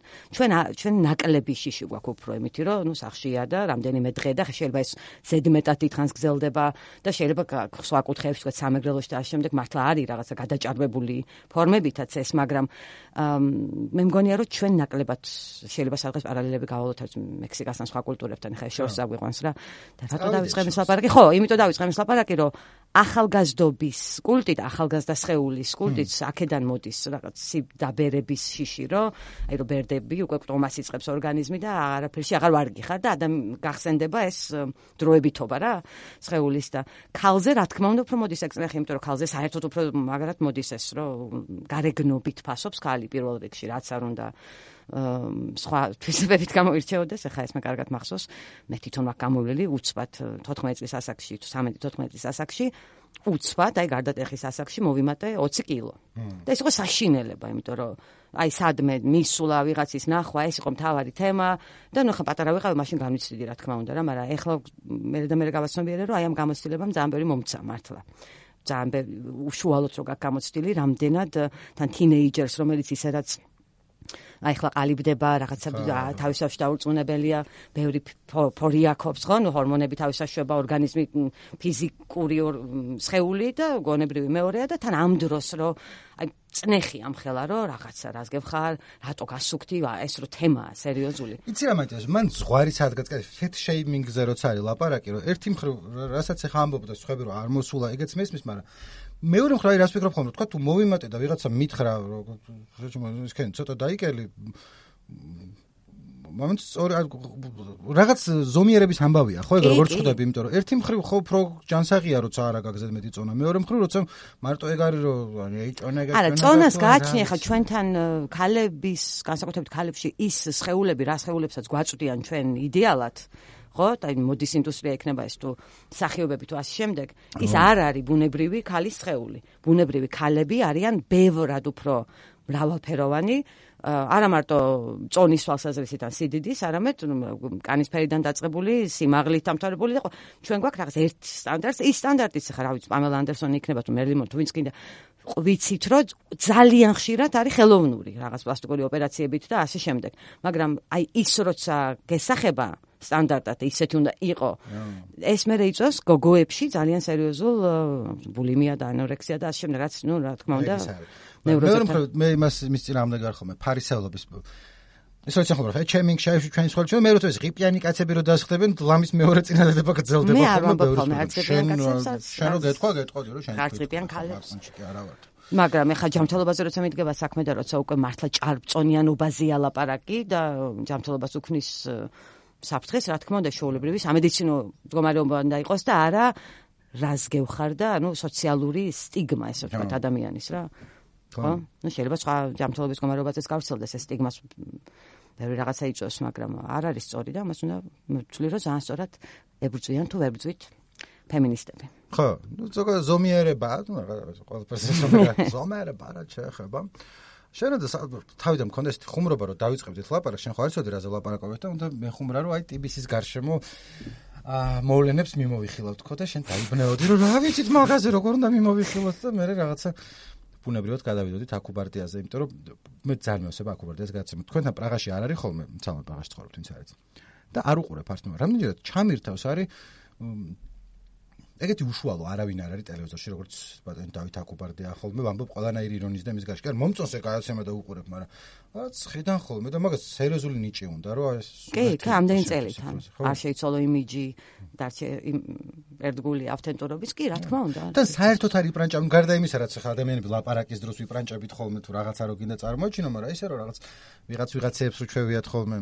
ჩვენ ნაკლები შიში გვაქვს უფრო იმითი, რომ ნუ სახშია და რამდენიმე დღე და შეიძლება ეს ზედმეტად დიდხანს გრძელდება და შეიძლება სხვა კუთხეებში, თქვა, სამეგრელოში და ამ შემდეგ მართლა არის რაღაცა გადაჭარბებული ფორმებითაც ეს, მაგრამ მე მგონია რომ ჩვენ ნაკლებად შეიძლება სადღაც პარალელები გავავლოთ მექსიკასთან სხვა კულტურებთან, ხა შორს აგვიყვანს რა. და რატო დავიწყებ ეს ლაპარაკი? ხო, იმიტომ დავიწყებ ეს ლაპარაკი, რომ ახალგაზრდობის კულტი და ახალგაზრდა სხეულის კულტიც აქედან მოდის რაღაც დაბერების შიში, რომ აი რომ ბერდები უკვე პტომას იწყებს ორგანიზმი და არაფერში აღარ ვარგი ხარ და გახსენდება ეს დროებითობა რა სხეულის და ქალზე რა თქმა უნდა უფრო მოდის ეგ წნეხი, იმიტომ რომ ქალზე საერთოდ უფრო მაგრად მოდის ეს, რომ გარეგნობით ფასობს ქალი პირველ რიგში, რაც არ უნდა სხვა თვისებებით გამოირჩეოდეს, ახლა ეს მე კარგად მახსოვს, მე თვითონ მაქვს გამოვლილი უცბად 14 წლის ასაკში თუ 13-14 წლის ასაკში, უცბად, აი გარდატეხის ასაკში მოვიმატე 20 კილო. და ეს იყო საშინელება, იმიტომ რომ აი სადმე მისულა ვიღაცის ნახვა, ეს იყო მთავარი თემა და ნუ ხა პატარა ვიყავი, მაშინ განვიცდიდი რა თქმა უნდა რა, მაგრამ ეხლა მე გავაცნობიერე, რომ აი ამ გამოცდილებამ ძალიან ბევრი მომცა მართლა. ძალიან უშუალოდ რო გაქვს გამოცდილი, რამდენად თან თინეიჯერს, რომელიც ისედაც აი ხლა ყალიბდება, რაღაცა თავისთავად დაურწმუნებელია, ბევრი ფორი აქვს, ხო, ნუ ჰორმონები თავისთავად ორგანიზმი ფიზიკური სხეული და გონებრივი მეორეა და თან ამ დროს რომ აი წნეხი ამხელა რომ რაღაცა რას გებხარ, რატო გასუქდი, ეს რო თემაა სერიოზული. იცი რა მაინტერესებს, მან ზღვარი სადღაც fat shaming-ზე როცა არის ლაპარაკი, რომ ერთი მხრივ რასაც ახლა ამბობ და სხვები რომ არ მოსულა, ეგეც მესმის, მაგრამ მეორე მხრივ რას ვფიქრობ ხოლმე, თქვა თუ მოვიმატე და ვიღაცა მითხრა, რომ ისქენ ცოტა დაიკელი მომენტ რაღაც ზომიერების ამბავია, ხო, ეგ როგორც ხვდები, იმიტომ რომ ერთი მხრივ ხო უფრო ჯანსაღია, როცა არა გაგზედ მეტი წონა, მეორე მხრივ როცა მარტო ეგ არის რომ აი წონა არა, წონას გააჩნია ხა ჩვენთან ქალების, განსაკუთრებით ქალებში ის სხეულები, რა სხეულებსაც გვაწვდიან ჩვენ იდეალად, ხო, აი მოდის ინდუსტრია ექნება ეს თუ სახიობები თუ ასე შემდეგ, ის არ არის ბუნებრივი ქალის სხეული. ბუნებრივი ქალები არიან ბევრად უფრო მრავალფეროვანი, არა მარტო წონის თვალსაზრისით ან სიდიდის, არამედ კანისფერიდან დაწყებული, სიმაღლით დამთავრებული და ჩვენ გვაქვს რაღაც ერთ სტანდარტს, ის სტანდარტიც ხარ, რა ვიცი, პამელა ანდერსონი იქნება თუ მერლინ მონრო თუ ვინც კიდე ვიცით, რომ ძალიან ხშირად არის ხელოვნური რაღაც პლასტიკური ოპერაციებით და ასე შემდეგ. მაგრამ აი ის როცა გესახება სტანდარტად ისეთი უნდა იყო. ეს მე იწვევს გოგოებში ძალიან სერიოზულ ბულიმია და ანორექსია და ასე შემდეგ, რაც რა თქმა უნდა მე იმას მის წინააღმდეგ არ ხომ ფარისევლობის ეს როცა ხომ რა ჩემი შაიფში ჩვენი სკოლაში მე როცა ღიპიანი კაცები რო დასხდებენ ლამის მეორე წინადადება გრძელდება ხოლმე შენ რო გეტყვა რომ შენ ღიპიან ქალებს მაგრამ ეხა ჯანმრთელობაზე როცა მიდგება საქმე და როცა უკვე მართლა ჭარბწონიანობაზეა ლაპარაკი და ჯანმრთელობას უქმნის საფრთხეს, რა თქმა უნდა, შეულებრივი სამედიცინო მდგომარეობა უნდა იყოს და არა რას გევხარ და სოციალური სტიგმა ესე ვთქვათ ადამიანის რა. ხო? შეიძლება სხვა ჯანმრთელობის მდგომარეობაზეც გავრცელდეს ეს სტიგმას ბევრი რაღაცა იწვევს, მაგრამ არ არის სწორი და მას უნდა ვთვლი, რომ ძალიან სწორად ებრძვიან თუ ვერ ბრძვით ფემინისტები. ხო, ზოგადად ზომიერება, ყველაფერს ზომიერება რა შეეხება. შენ და თავიდან მქონდეს ხუმრობა რომ დავიწყებდით ლაპარაკს, შენ ხო არ იცოდი რაზე ლაპარაკობთ და უნდა მეხუმრა რომ აი ტიბისის გარშემო მოვლენებს მიმოვიხილავთ ხო და შენ დაიბნეოდი რომ რა ვიცით მაგაზე როგორ უნდა მიმოვიხილოთ და მე რაღაცა ბუნებრივად გადავიდოდით აკუბარდიაზე, იმიტომ რომ მე ძალიან მევსება აკუბარდიას გადაცემოთ. თქვენთან პრაღაში არ არის ხოლმე, ცალკე პრაღაში ცხოვრობთ, ვინც არის. და არ უყურებ არც მე. რამდენჯერად ჩამირთავს არის ეგეთი უშუალო არავინ არ არის ტელევიზორში, როგორც ბატონი დავით აკუბარდია ხოლმე ვამბობ ყველანაირი ირონიის და მის გარშემო. კი არ მომწონს ეგ გადაცემა და უყურებ, მაგრამ რაც ხედან ხოლმე და მაგას სერიოზული ნიჭი უნდა, რომ ეს კი, ამდენი წელით არ შეიცვალო იმიჯი და ერთგული ავთენტურობის, კი, რა თქმა უნდა. და საერთოდ არის იპრანჭავენ გარდა იმისა, რაც ხა ადამიანები ლაპარაკის დროს ვიპრანჭებით ხოლმე თუ რაღაცა რო გინდა წარმოიჩინო, მაგრამ ისე რომ რაღაც ვიღაცებს უჩვევიათ ხოლმე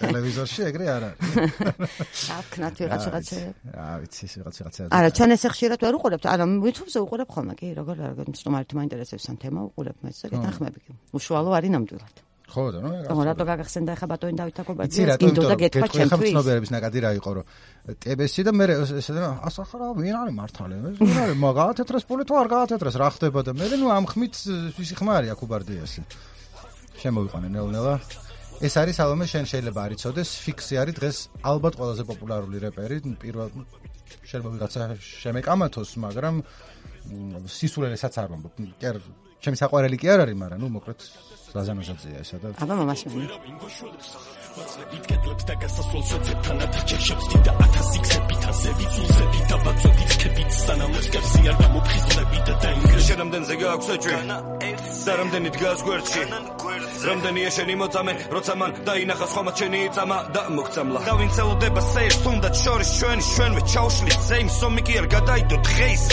ტელევიზორში ეგრე არ არის. აკნათ ვიღაცაზე. რა ვიცი, ვიღაცაზე. არა, ჩვენ ესე ხშირად ვერ უყურებთ. არა, YouTube-ზე უყურებ ხოლმე, კი, როგორ სტუმარით მაინტერესებს ან თემა უყურებ მეც და გეთანხმები. უშუალო არის ნამდვილად. ხო და რატო გაგახსენდა ახლა ბატონი დავით აკუბარდია? ინდო და გეთქვა ჩემთვის. ცნობიერების ნაკადი რა იყო, რომ TBS-ი და მე ესე ასახარა ვინ არის მართალი? ვინ არის მაგათეთრეს პოლიტო არ გაათეთრეს რა ხდება და მე ამ ხმით ვისი ხმა არის აკუბარდიასი. შემოვიყვანენ ნელ-ნელა. ეს არის სალომე შენ შეიძლება არ იცოდეს, ფიქსი არის დღეს ალბათ ყველაზე პოპულარული რეპერი, პირველ შეიძლება ვიღაცა შემეკამათოს, მაგრამ სისულელესაც არ ვამბობ. კი არ ჩემი საყვარელი კი არ არის, მაგრამ მოკლედ ზაზანოჟაძეა ესა და აბა მამას მე იტკეთებს და გასასვლელ შეძებთან ათაჩებს დიდა 1000 იქსებითაზე ვიწულზები და ბაცოდიჩებით სანამ სკერსი არ გამოფხიზლები და დაინგრე შერამდენზე გააქვს ეჭვი და რამდენი დგას გვერდში რამდენი ეშენი მოწამე როცა მან დაინახა სხვა მაჩენი იწამა და მოგწამლა და ვინც ელოდება სეირს თუნდაც შორის ჩვენვე ჩაუშლით ზეიმს ომი კი არ გადაიდო დღეის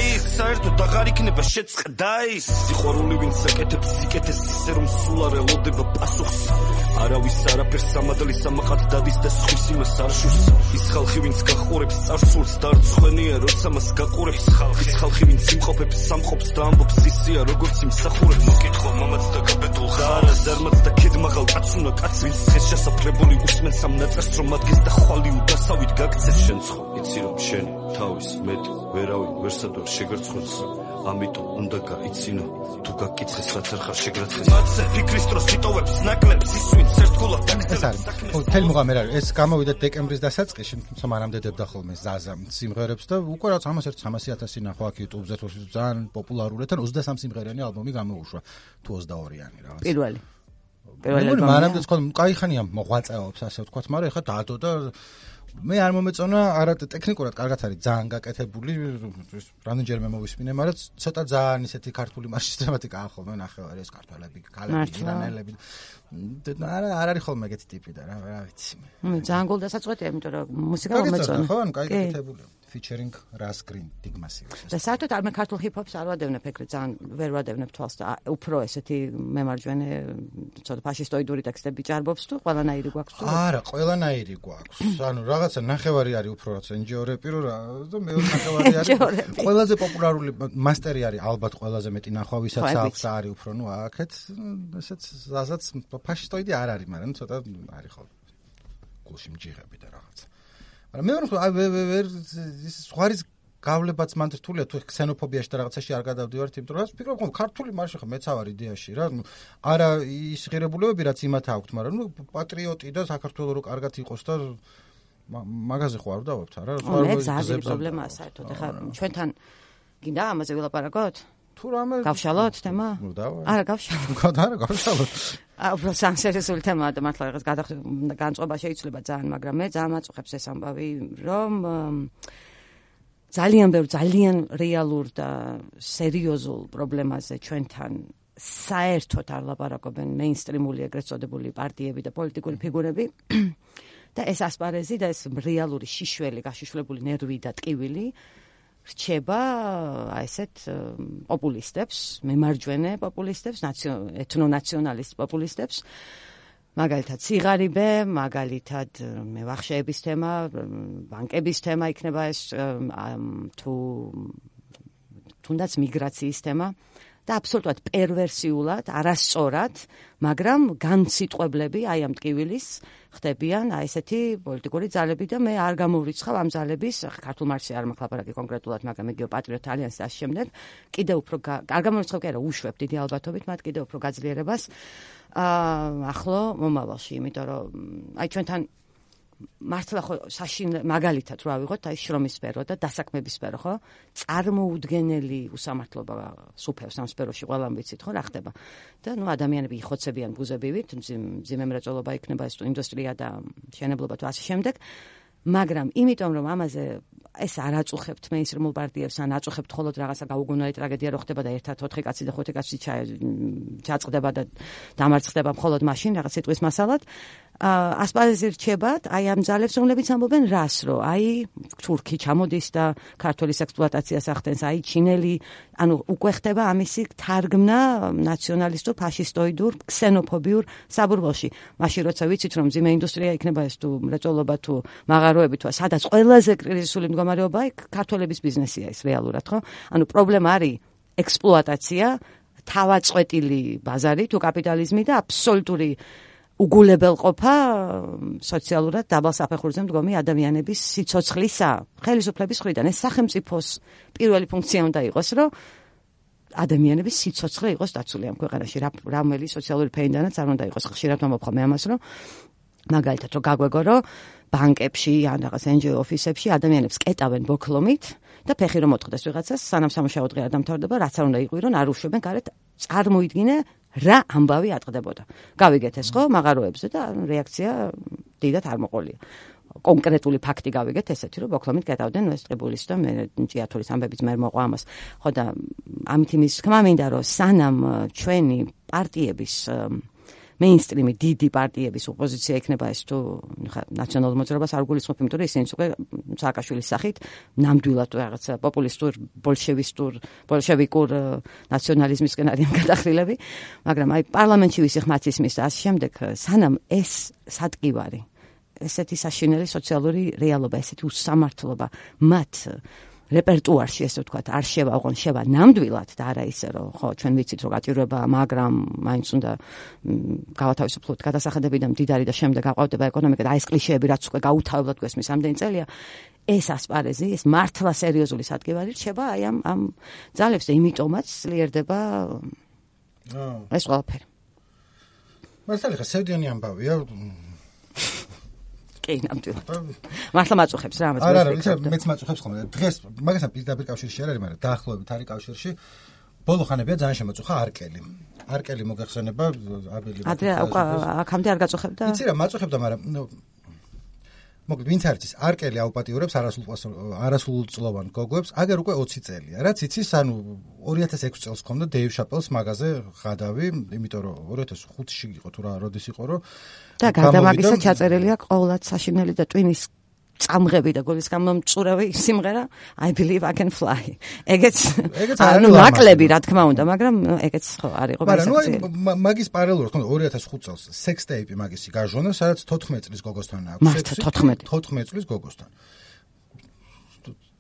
ის საერთოდ აღარ იქნება შეწყდა ის სიყვარული ვინც აკეთებს სიკეთეს ისე რომ სულ არ ელოდება პასუხს არავის არაფერს სამადლის სამყად დადის და სხვის იმას არ შურს ის ხალხი ვინც გახურებს წარსულს და არც ხვენია როცა მას გაყურებს ის ხალხი ვინც იმყოფებს სამყოფს და ამბობს ისია როგორც იმსახურებს მოკითხო მამაც და გაბედულ ხარ ზარმაც და ქედმაღალ კაც უნდა კაც ვინც ხეს შესაფრებული უსმენს ამ ნაწერს რომ ადგეს და ხვალ უდასავით გაგცეს შენ ცხო იცი რომ შენ თავის მეტ ვერავინ ვერსად ვერ შეგერცხოს ამიტომ უნდა გაიცინო თუ გაკიცხეს რაც არ ხარ შეგრაცხეს მათზე ფიქრის დროს იტოვებს ნაკლებს ის ვინც ერთგულად დაგწერს თელ მუღამერ არის ეს გამოვიდა დეკემბრის დასაწყისში თუმცა მანამდე დებდა ხოლმე ზაზა სიმღერებს და უკვე რაც 300,000 ნახო აქ YouTube-ზე ძალიან პოპულარული თან 23 სიმღერიანი ალბომი გამოუშვა თუ 22-იანი რაღაც პირველი მანამდე თქო кайხანია მოღვაწეობს ასე ვთქვათ მაგრამ ეხლა დადო და მე არ მომეწონა არა ტექნიკურად კარგად არის ძალიან გაკეთებული რამდენჯერმე მოვისმინე მაგრამ ცოტა ძალიან ისეთი ქართული მარშრუტებათიკაა ხოლმე ნახევარი ეს ქართველები ქალები ირანელები არ არის ხოლმე ეგეთი ტიპი და რა ვიცი მე ძალიან გულდასაწყვეტია იმიტომ რომ მუსიკა მომეწონა ხო ანუ კაი გაკეთებული featuring Ras Green Digmasiv. და საერთოდ არ მე ქართულ ჰიპ-ჰოპს არ ვადევნებ ეგრე ძალიან ვერ ვადევნებ თვალს და უფრო ესეთი მემარჯვენე ცოტა ფაშისტოიდური ტექსტები ჭარბობს თუ ყველანაირი გვაქვს თუ არა ყველანაირი გვაქვს ანუ რაღაცა ნახევარი არის უფრო რაც NGO რეპირო რა და მეორე ნახევარი არის ყველაზე პოპულარული მასტერი არის ალბათ ყველაზე მეტი ნახვა ვისაც აქვს არის უფრო ნუ აქეთ ესეც ზაზაც ფაშისტოიდი არ არის მაგრამ ცოტა არის ხოლმე გულში მჯიღები და რაღაცა მაგრამ მე ვარ ის სხვარის გავლებაც მან რთულია თუ ქსენოფობიაში და რაღაცაში არ გადავდივართ, იმიტომ რომ ვფიქრობ, რომ ქართული მარშა ხო მეც ავარ იდეაში რა, არა ის ღირებულებები რაც იმათ აქვთ, მაგრამ პატრიოტი და საქართველოს რო კარგად იყოს და მაგაზე ხო არ დავობთ არა? მე გზაზე პრობლემაა საერთოდ. ეხლა ჩვენთან გინდა ამაზე ვილაპარაკოთ? თუ რამე გავშალოთ თემა? არა, გავშალოთ. არა, გავშალოთ. უბრალოდ სანსერიოზული თემაა და მართლა რაღაც განწყობა შეიძლება ძალიან, მაგრამ მე ძალიან მაწუხებს ეს ამბავი, რომ ძალიან რეალურ და სერიოზულ პრობლემაზე ჩვენთან საერთოდ არ ლაპარაკობენ მეინსტრიმული ეგრეთ წოდებული პარტიები და პოლიტიკური ფიგურები და ეს ასპარეზი და ეს რეალური შიშველი, გაშიშვლებული ნერვი და ტკივილი რჩება ესეთ პოპულისტებს, მემარჯვენე პოპულისტებს, ეთნონაციონალისტ პოპულისტებს, მაგალითად სიღარიბე, მაგალითად მევახშეების თემა, ბანკების თემა იქნება ეს თუნდაც მიგრაციის თემა და აბსოლუტურად პერვერსიულად, არასწორად, მაგრამ განსიტყვებლები აი ამ ტკივილის ხდებიან აი ესეთი პოლიტიკური ძალები და მე არ გამოვრიცხავ ამ ძალების ქართულ მარქსი არ მაქვს ლაპარაკი კონკრეტულად, მაგრამ იგივე პატრიოტ ალიანსი და ამ შემდეგ კიდევ უფრო არ გამოვრიცხავ კი არა, უშვებ დიდი ალბათობით მათ კიდევ უფრო გაძლიერებას ახლო მომავალში, იმიტომ რომ აი ჩვენთან მართლა ხო მაგალითად რა ვიღოთ აი შრომის სფერო და დასაქმების სფერო ხო წარმოუდგენელი უსამართლობა სუფევს ამ სფეროში ყველამ ვიცით ხო რა ხდება და ნუ ადამიანები იხოცებიან ბუზებივით მძიმე მრეწველობა იქნება ეს ინდუსტრია და მშენებლობა თუ ასე შემდეგ მაგრამ იმიტომ რომ ამაზე ეს არ აწუხებთ მეინსტრიმულ პარტიებს ან აწუხებთ მხოლოდ რაღაცა გაუგონარი ტრაგედია რო ხდება და ერთად 4 კაცი და 5 კაცი ჩაწყდება და დამარცხდება მხოლოდ მაშინ რაღაც სიტყვის მასალად ასპარეზი რჩებათ აი ამ ძალებს რომლებიც ამბობენ რას რომ აი თურქი ჩამოდის და ქართლის ექსპლუატაციას ახდენს აი ჩინელი ანუ უკვე ხდება ამისი თარგმნა ნაციონალისტურ ფაშისტოიდურ ქსენოფობიურ საბურბალში მაშინ როცა ვიცით რომ მძიმე ინდუსტრია იქნება ეს თუ მრეწველობა თუ მაღაროები თუ სადაც ყველაზე კრიზისული მდგომარეობაა ქართველების ბიზნესია ეს რეალურად ხო ანუ პრობლემა არის ექსპლუატაცია თავაწყვეტილი ბაზარი თუ კაპიტალიზმი და აბსოლუტური უგულებელყოფა სოციალურად დაბალ საფეხურზე მდგომი ადამიანების სიცოცხლისა, ხელისუფლების მხრიდან ეს სახელმწიფოს პირველი ფუნქცია უნდა იყოს, რომ ადამიანების სიცოცხლე იყოს დაცული ამ ქვეყანაში, რამელი სოციალური ფეიდანაც არ უნდა იყოს. ხშირად მომხვა მე ამას, რომ მაგალითად რომ გაგვეგო, რომ ბანკებში ან რაღაც NGO ოფისებში ადამიანებს კეტავენ ბოქლომით და ფეხი რომ მოწყდეს ვიღაცას, სანამ სამუშაო დღე არ დამთავრდება, რაც არ უნდა იყვირონ, არ უშვებენ გარეთ, წარმოიდგინე რა ამბავი ატყდებოდა. გავიგეთ ეს ხო მაღაროებზე და რეაქცია დიდად არ მოყოლია. კონკრეტული ფაქტი გავიგეთ ესეთი რომ ბოქლომით კეტავდნენ ეს ტყიბულის და მე ჭიათურის ამბებიც მე მოყვა ამას. ხო და ამით იმის თქმა მინდა რომ სანამ ჩვენი პარტიების მეინსტრიმი დიდი პარტიების ოპოზიცია იქნება ეს თუ ნაციონალურ მოძრაობას არ გულისხმობ, იმიტომ რომ ისინიც უკვე სააკაშვილის სახით ნამდვილად რაღაცა პოპულისტურ, ბოლშევიკურ ნაციონალიზმისკენ არიან გადახრილები, მაგრამ აი პარლამენტში ვისი ხმაც ისმის და ამ შემდეგ სანამ ეს სატკივარი, ესეთი საშინელი სოციალური რეალობა, ესეთი უსამართლობა მათ რეპერტუარში ესე ვთქვათ არ შევავღონ შევა ნამდვილად და არა ისე რომ ხო ჩვენ ვიცით რომ გაჭირვება მაგრამ მაინც უნდა გავათავისუფლოთ გადასახადები და მდიდარი და შემდეგ აყვავდება ეკონომიკა და აი ეს კლიშეები რაც უკვე გაუთავებლად გვესმის ამდენი წელია ეს ასპარეზი ეს მართლა სერიოზული სადგევარი რჩება აი ამ ძალებს და იმიტომაც ძლიერდება ეს ყველაფერი მართლა ხა სევდიანი ამბავია კი, ნამდვილად. მართლა მაწუხებს რა ამას. არა, მეც მაწუხებს ხოლმე. დღეს მაგასთან პირდაპირ კავშირში არ არის, მაგრამ დაახლოებით არის კავშირში. ბოლო ხანებია ძალიან შემოწუხა არკელი. არკელი მოგახსენება აბელი. ადრე აქამდე არ გაწუხებდა? იცი რა, მაწუხებდა, მაგრამ მოკლედ ვინც არის ის არკელი აუპატიურებს არასრულწლოვან გოგოებს, აგერ უკვე 20 წელია. რაც იცის, ანუ 2006 წელს ქონდა დეივ შაპელს მაღაზე ღადავი, იმიტომ რომ 2005-ში იყო თუ რა როდის იყო, რომ და გარდა მაგისა ჩაწერილია ყოველად საშინელი და ტვინის წამღები და გოლის გამომწურავი სიმღერა I believe I can fly. ეგეც ანუ ნაკლები რა თქმა უნდა, მაგრამ ეგეც ხო არ იყო გასაგები. მაგრამ მაგის პარალელურად თქო 2005 წელს sex tape მაგისი გაჟონა, სადაც 14 წლის გოგოსთან აქვს. 14 წლის გოგოსთან.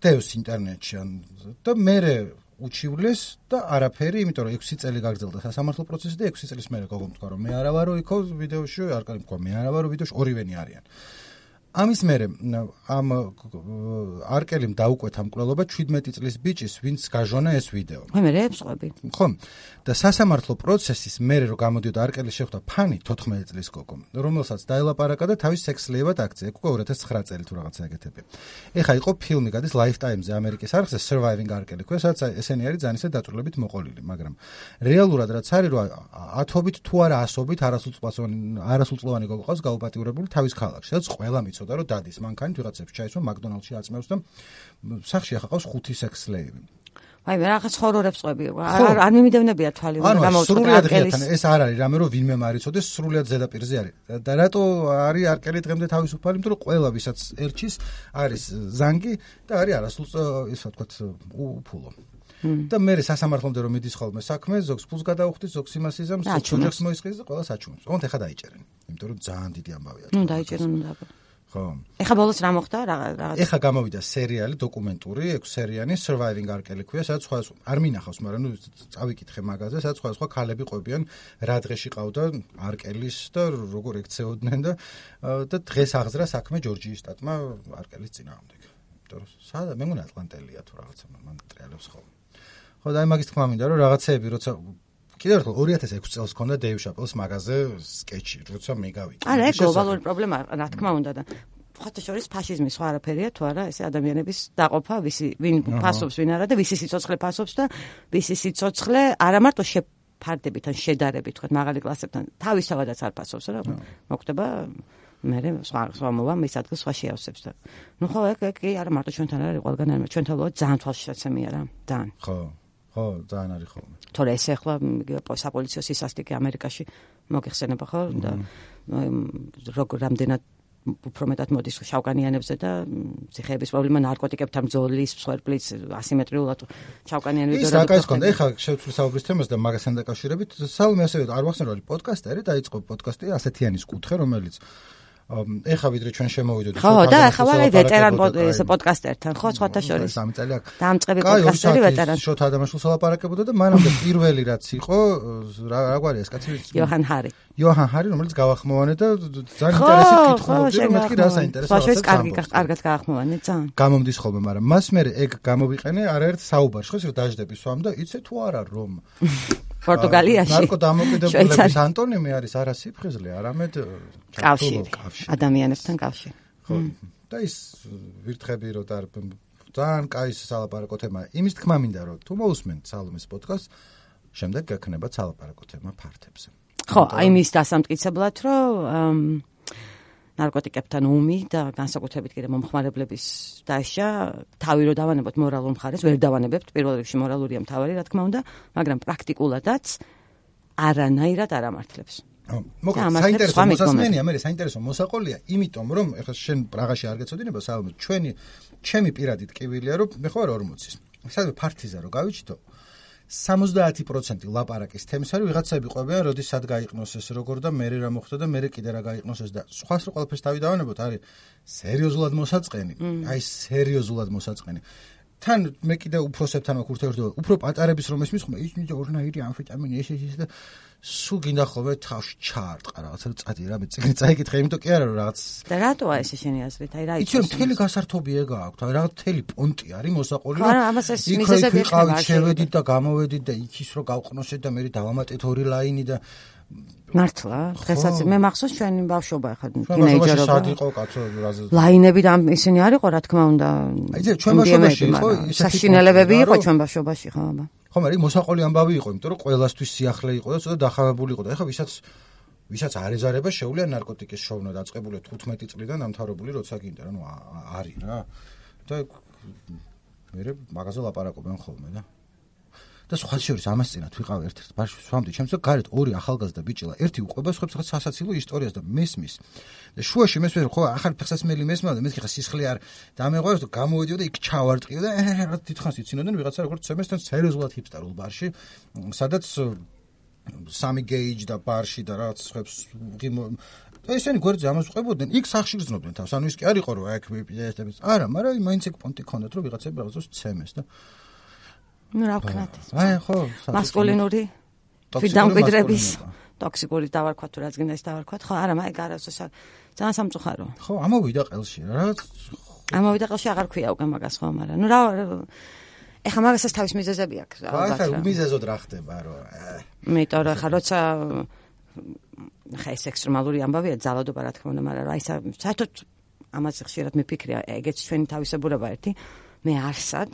დევს ინტერნეტში და მე უჩივლეს და არაფერი, იმიტომ რომ 6 წელი გაგრძელდა სასამართლო პროცესი და 6 წლის მერე გოგომ თქვა რომ მე არა ვარო იქო ვიდეოში, არკალი თქვა მე არა ვარო ვიდეოში, ორივენი არიან. ამის მერე ამ არკელიმ დაუკვეთა მკვლელობა 17 წლის ბიჭის, ვინც გაჟონა ეს ვიდეო. მე έψყვები. ხო. და სასამართლო პროცესის მერე რომ გამოდიოდა არკელის შეხვდა ფანი 14 წლის გოგო, რომელსაც დაელაპარაკა და თავის სექსლეებად აქცია, უკვე 2009 წელი თუ რაღაცა ეგეთები. ეხა იყო ფილმი გადის Lifetime-ზე ამერიკის არხზე Surviving R. Kelly, სადაც ესენი არის ძალისა დაწვრილებით მოყოლილი, მაგრამ რეალურად რაც არის რომ ათობით თუ არა ასობით არასრულწლოვანი გოგო ყავს გაუპატიურებული თავის ქალაქში, სადაც ყველა მიცოდა რომ დადის მანქანით ვიღაცებს ჩაისვა McDonald's-ში აწმევს და სახში ახლა ყავს 5 სექსლეები. აი მე რაღაც ხორორებს ყვები. არ მიმიდევნებია თვალი რომ გამოვწყვეტ არკელის. ეს არ არის რამე რომ ვინმე მარიცოდეს სრულიად ზედაპირზე არის. და რატო არის არკელი დღემდე თავისუფალი, იმიტომ რომ ყველა ვისაც ერჩის არის ზანგი და არის არასრულწლოვანი, ისე ვთქვათ, უფულო. და მე სასამართლომდე რომ მიდის ხოლმე საქმე, ზოგს ფულს გადაუხდის, ზოგს იმას იზამს, ოჯახს მოისყიდის და ყველა საჩუმებს. ოღონდ ეხა დაიჭერენ. იმიტომ რომ ძალიან დიდი ამბავია. დაიჭერენ უნდა. ხო. ეხა ბოლოს რა მოხდა? რაღაც. ეხა გამოვიდა სერიალი, დოკუმენტური, 6 სერიანი, Surviving R. Kelly ქვია, სადაც სხვა არ მინახავს, მაგრამ ნუ წავიკითხე მაგაზე, სადაც სხვა ქალები ყვებიან, რა დღეში ყავდა R. Kelly-ს და როგორ ექცეოდნენ და დღეს აღზრა საქმე ჯორჯიის შტატმა R. Kelly-ს წინააღმდეგ. იმიტომ რომ სადა მე მგონი ატლანტელია თუ რაღაცა მან ტრიალებს ხოლმე. ხო და აი მაგის თქმა მინდა რომ რაღაცეები როცა კიდევ ერთხელ 2006 წელს ქონდა Dave Chappelle-ს მაგაზე სკეჩი, როცა მე გავიქი. არა, ეს გლობალური პრობლემა რა თქმა უნდა და ხოთა შორის ფაშიზმი სხვა არაფერია თუ არა, ესე ადამიანების დაყოფა, ვინ ფასობს, ვინ არა და ვისი სიცოცხლე ფასობს და ვისი სიცოცხლე არა მარტო შეფარდებით ან შედარებით, თქვა მაღალი კლასებთან, თავისთავადაც არ ფასობს რა. მოხდება მე სხვა მოვა მის ადგილს სხვა შეავსებს და ნუ ხო ეგ არა მარტო ჩვენთან არის ყველგან არის ჩვენთან ლო ძალიან თვალშისაცემია რა ძალიან ხო ძალიან არის ხოლმე თორე ეს ახლა საპოლიციო სისასტიკე ამერიკაში მოგეხსენება ხო და როგორ რამდენად უფრო მეტად მოდის შავკანიანებზე და ციხეების პრობლემა ნარკოტიკებთან ბრძოლის მსხვერპლიც ასიმეტრიულად შავკანიანები და ის რაკაც კონდა ეხლა შევცვლი საუბრის თემას და მაგასთან დაკავშირებით სალომე ასევე არ ვახსენე რომ პოდკასტერი დაიწყო პოდკასტი ასეთიანის კუთხე რომელიც ეხა ვიდრე ჩვენ შემოვიდოდით ხო და ახლა ვარ ვეტერან პოდკასტერთან ხო სხვათა შორის 3 წელი აქვს დაამწყები პოდკასტერი ვეტერანი შოთა ადამიანს ელაპარაკებოდა და მანამდე პირველი რაც იყო რა გვარი ეს კაცი იოჰან ჰარი რომელიც გავახმოვანე და ძალიან ინტერესით კითხულობდი რომ მეთქი რა საინტერესოა ბაშოს კარგად გაახმოვანე ძალიან გამომდის ხოლმე მაგრამ მას მე ეგ გამოვიყენე არაერთ საუბარში ხო რომ დაждები სვამ და იცი თუ არა რომ პორტუგალიაში ნარკოდამოკიდებულების ანტონიმი არის არა სიფხიზლე არამედ კავშირი ადამიანებთან კავშირი ხო და ის ვირთხები რომ ძალიან კაი სალაპარაკო თემა იმის თქმა მინდა რომ თუ მოусმენთ სალომეს პოდკასტს შემდეგ გექნება სალაპარაკო თემა ფართებზე ხო აი მის დასამტკიცებლად რომ ნარკოტიკებთან ომი და განსაკუთრებით კიდე მომხმარებლების დაშა თავი რო დავანებოთ მორალურ მხარეს ვერ დავანებებთ პირველ რიგში მორალურია მთავარი რა თქმა უნდა მაგრამ პრაქტიკულადაც არანაირად არ ამართლებს მოკლედ საინტერესო მოსასმენია მე საინტერესო მოსაყოლია იმიტომ რომ ეხლა შენ პრაღაში არ გეცოდინება სალომე ჩემი პირადი ტკივილია რომ მე ხო 40-ის სადღაც ფართიზა რო გავიჩიტო 70% ლაპარაკის თემის არის ვიღაცები ყვებიან როდის სად გაიყნოს ეს როგორ და მე რა მოხდა და მე კიდე რა გაიყნოს ეს და სხვას რო ყველაფერს თავი დავანებოთ არის სერიოზულად მოსაწყენი აი სერიოზულად მოსაწყენი თან მე კიდე უფროსებთან მაქვს ურთიერთობა უფრო პატარების რომ ესმის ხომ ის ორნაირი ამფეტამინი ეს და სულ გინდა ხოლმე თავში ჩაარტყა რაღაცა წადი რა მე წიგნი წაიკითხე იმიტომ კი არა რომ რაღაც და რატოა ეს შენი აზრით აი რა იცი რომ მთელი გასართობი ეგა აქვს აი რაღაც მთელი პონტი არის მოსაყოლი რომ ამას ეს მიზეზები ხდება შევედით და გამოვედით და იქის რო გავყნოსეთ და მე დავამატეთ 2 ლაინი და მართლა დღესაც მე მახსოვს ჩვენი ბავშვობა ახლა თინეიჯერობა სად იყო კაცო ლაინები და ისინი არ იყო რა თქმა უნდა აი ჩვენ ბავშვობაში იყო საშინელებები იყო ჩვენ ბავშვობაში ხო აბა ხო მაგრამ მოსაყოლი ამბავი იყო იმიტომ რომ ყველასთვის სიახლე იყო და ცოტა დახავებული იყო და ეხლა ვისაც არ ეზარება შეუძლია ნარკოტიკის შოვნა დაწყებული 15 წლიდან დამთავრებული როცა გინდა რა ნუ არის რა და მე მაგაზე ლაპარაკობენ ხოლმე და სხვა შორის ამას წინათ ვიყავ ერთ-ერთ ბავშვი სვამდი ჩემს და გარეთ 2 ახალგაზრდა ბიჭილა ერთი უყვება სხვებს რაღაც სასაცილო ისტორიას და მესმის და შუაში მესმის ხო ახალი ფეხსაცმელი მესმა და მეთქი ხა სისხლი არ დამეღვაროს და გამოვიდიო და იქ ჩავარტყიო და რა თითქოს იცინოდნენ ვიღაცა როგორც ცემესთან სერიოზულად ჰიპსტერულ ბარში სადაც სამი გეიჯ და ბარში და რაღაც სხვებს და ისინი გვერდზე ამას ვყვებოდნენ იქ სახში გრძნობდნენ თავს ანუ ის კი არ იყო რომ აქ ვიპიესტებს არა მაგრამ მაინც ეგ პონტი ქონდათ რომ ვიღაცები რაღაცას ცემეს და ნუ რა ვქნათ აი ხო მასკულინური დამკვიდრების ტოქსიკური დავარქვა თუ რაც გინდა ის დავარქვა, ხო, არა, მაგ არასო ძალიან სამწუხარო. ხო, ამოვიდა ყელში რა. ამოვიდა ყელში აღარ ქვია უკვე მაგას ხო, მაგრამ ნუ რა ეხა მაგასაც თავის მიზეზები აქვს ალბათ. ხო, მიზეზოდ რა ხდება რო. იმიტომ რომ ხა როცა ხა ეს ექსტრემალური ამბავია ძალადობა რა თქმა უნდა, მაგრამ აი საერთოდ ამაზე ხშირად მიფიქრია, ეგეც ჩვენი თავისებურება ერთი. მე არსად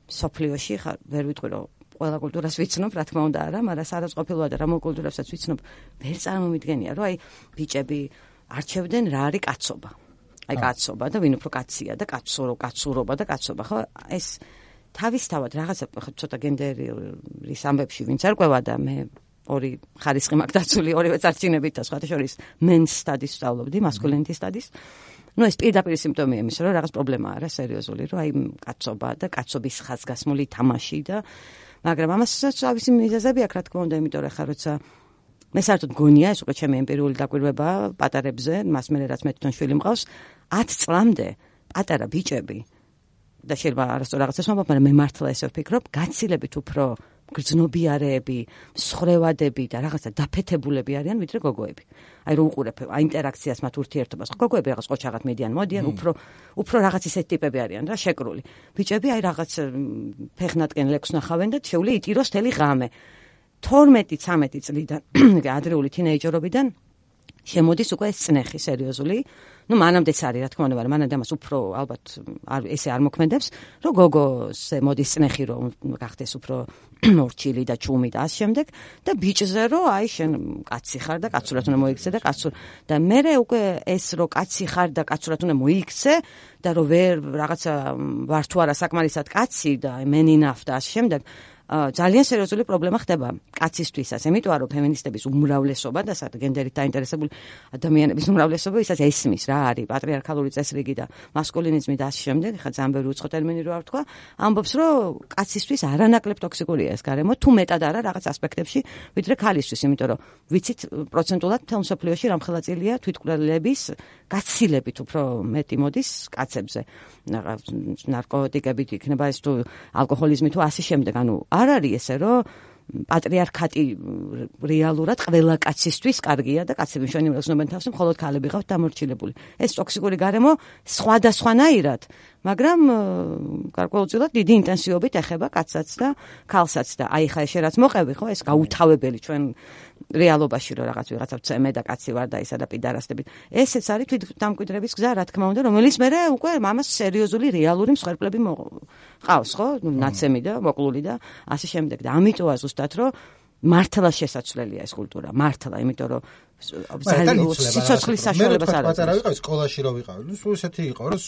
სოფლიოში ხა ვერ ვიტყვი რომ ყველა კულტურას ვიცნობ, რა თქმა უნდა არა, მაგრამ სადაც ყოფილვაა და რა კულტურასაც ვიცნობ, ვერ წარმომიდგენია, რომ აი ბიჭები არჩევდნენ რა არის კაცობა. აი კაცობა და ვინ უფრო კაცია და კაცურობა და კაცობა, ხო? ეს თავისთავად რაღაცა ცოტა გენდერის ამბებში ვინც არ ყვევა და მე ორი ხარისხი მაქვს დაცული, ორივე წარჩინებით და სხვათა შორის men's studies ვსწავლობდი, masculinity studies. ნუ ეს პირდაპირ სიმპტომია იმისა, რომ რაღაც პრობლემაა რა სერიოზული, რომ აი კაცობა და კაცობის ხაზგასმული თამაში და მაგრამ ამასაც თავისი მიზეზები აქვს, რა თქმა უნდა, იმიტომ რომ ხა როცა მე საერთოდ გონია ეს უკვე ჩემი ემპირიული დაკვირვებაა პატარებზე, მას მე რაც მე თვითონ შვილი მყავს, 10 წლამდე პატარა ბიჭები და შეიძლება არასწორ რაღაცას ვამბობ, მაგრამ მე მართლა ესე ვფიქრობ, გაცილებით უფრო გრძნობიარეები, მსხრევადები და რაღაცა დაფეთებულები არიან ვიდრე გოგოები. აი რო უყურებ ინტერაქციას მათ ურთიერთობას, გოგოები რაღაც ყოჩაღად მედიან, მოდიან, უფრო რაღაც ისეთი ტიპები არიან რა, შეკრული. ბიჭები აი რაღაც ფეხნატკენ ლექს ნახავენ და შეული იტიროს თელი ღამე. 12-13 წლიდან ადრეული თინეიჯერობიდან შემოდის უკვე ეს წნეხი სერიოზული. ნუ მანამდეც არის, რა თქმა უნდა, მაგრამ მანამდე ამას უფრო ალბათ ესე არ მოქმედებს, რომ გოგოზე მოდის წნეხი, რომ გახდეს უფრო მორჩილი და ჩუმი და ამ შემდეგ და ბიჭზე რომ აი შენ კაცი ხარ და კაცურად უნდა მოიქცე და კაცურ და მე უკვე ეს რომ კაცი ხარ და კაცურად უნდა მოიქცე და რომ ვერ რაღაცა ვარ თუ არა საკმარისად კაცი და men enough და ამ შემდეგ ძალიან სერიოზული პრობლემა ხდება კაცისთვისაც, იმიტომ რომ ფემინისტების უმრავლესობა და გენდერით დაინტერესებული ადამიანების უმრავლესობა ისაც ესმის რა არის პატრიარქალური წესრიგი და მასკულინიზმი და ამ შემდეგ, ხა ძალიან ბევრი უცხო ტერმინი რო არ თქვა, ამბობს რომ კაცისთვის არანაკლებ ტოქსიკურია ეს გარემო, თუ მეტად არა რაღაც ასპექტებში, ვიდრე ქალისთვის, იმიტომ რომ ვიცით პროცენტულად თელ მსოფლიოში რამხელა წილია თვითკვლელების გაცილებით უფრო მეტი მოდის კაცებზე. ნარკოტიკებით იქნება ეს თუ ალკოჰოლიზმი თუ ასე შემდეგ, ანუ არ არის ესე რომ პატრიარქატი რეალურად ყველა კაცისთვის კარგია და კაცები შენი უზნობენ თავს, მხოლოდ ქალები ყავთ დამორჩილებული. ეს ტოქსიკური გარემო სხვადასხვანაირად, მაგრამ გარკვეულწილად დიდი ინტენსივობით ეხება კაცსაც და ქალსაც და აი ხა შე რაც მოყევი ხო ეს გაუთავებელი ჩვენ რეალობაში რომ რაღაც ვიღაცა წემე და კაცი ვარ და ისა და პიდარასტები. ესეც არის თვითდამკვიდრების გზა, რა თქმა უნდა, რომელიც მე უკვე მამას სერიოზული რეალური მსხვერპლები ყავს, ხო? ნაცემი და მოკლული და ასე შემდეგ. და ამიტოა ზუსტად რომ მართლა შესაძლებელია ეს კულტურა, მართლა, იმიტომ რომ სიცოცხლის საშუალებას არ აქვს. პატარა ვიყავი სკოლაში რო ვიყავი, ნუ სულ ესეთი იყო, რომ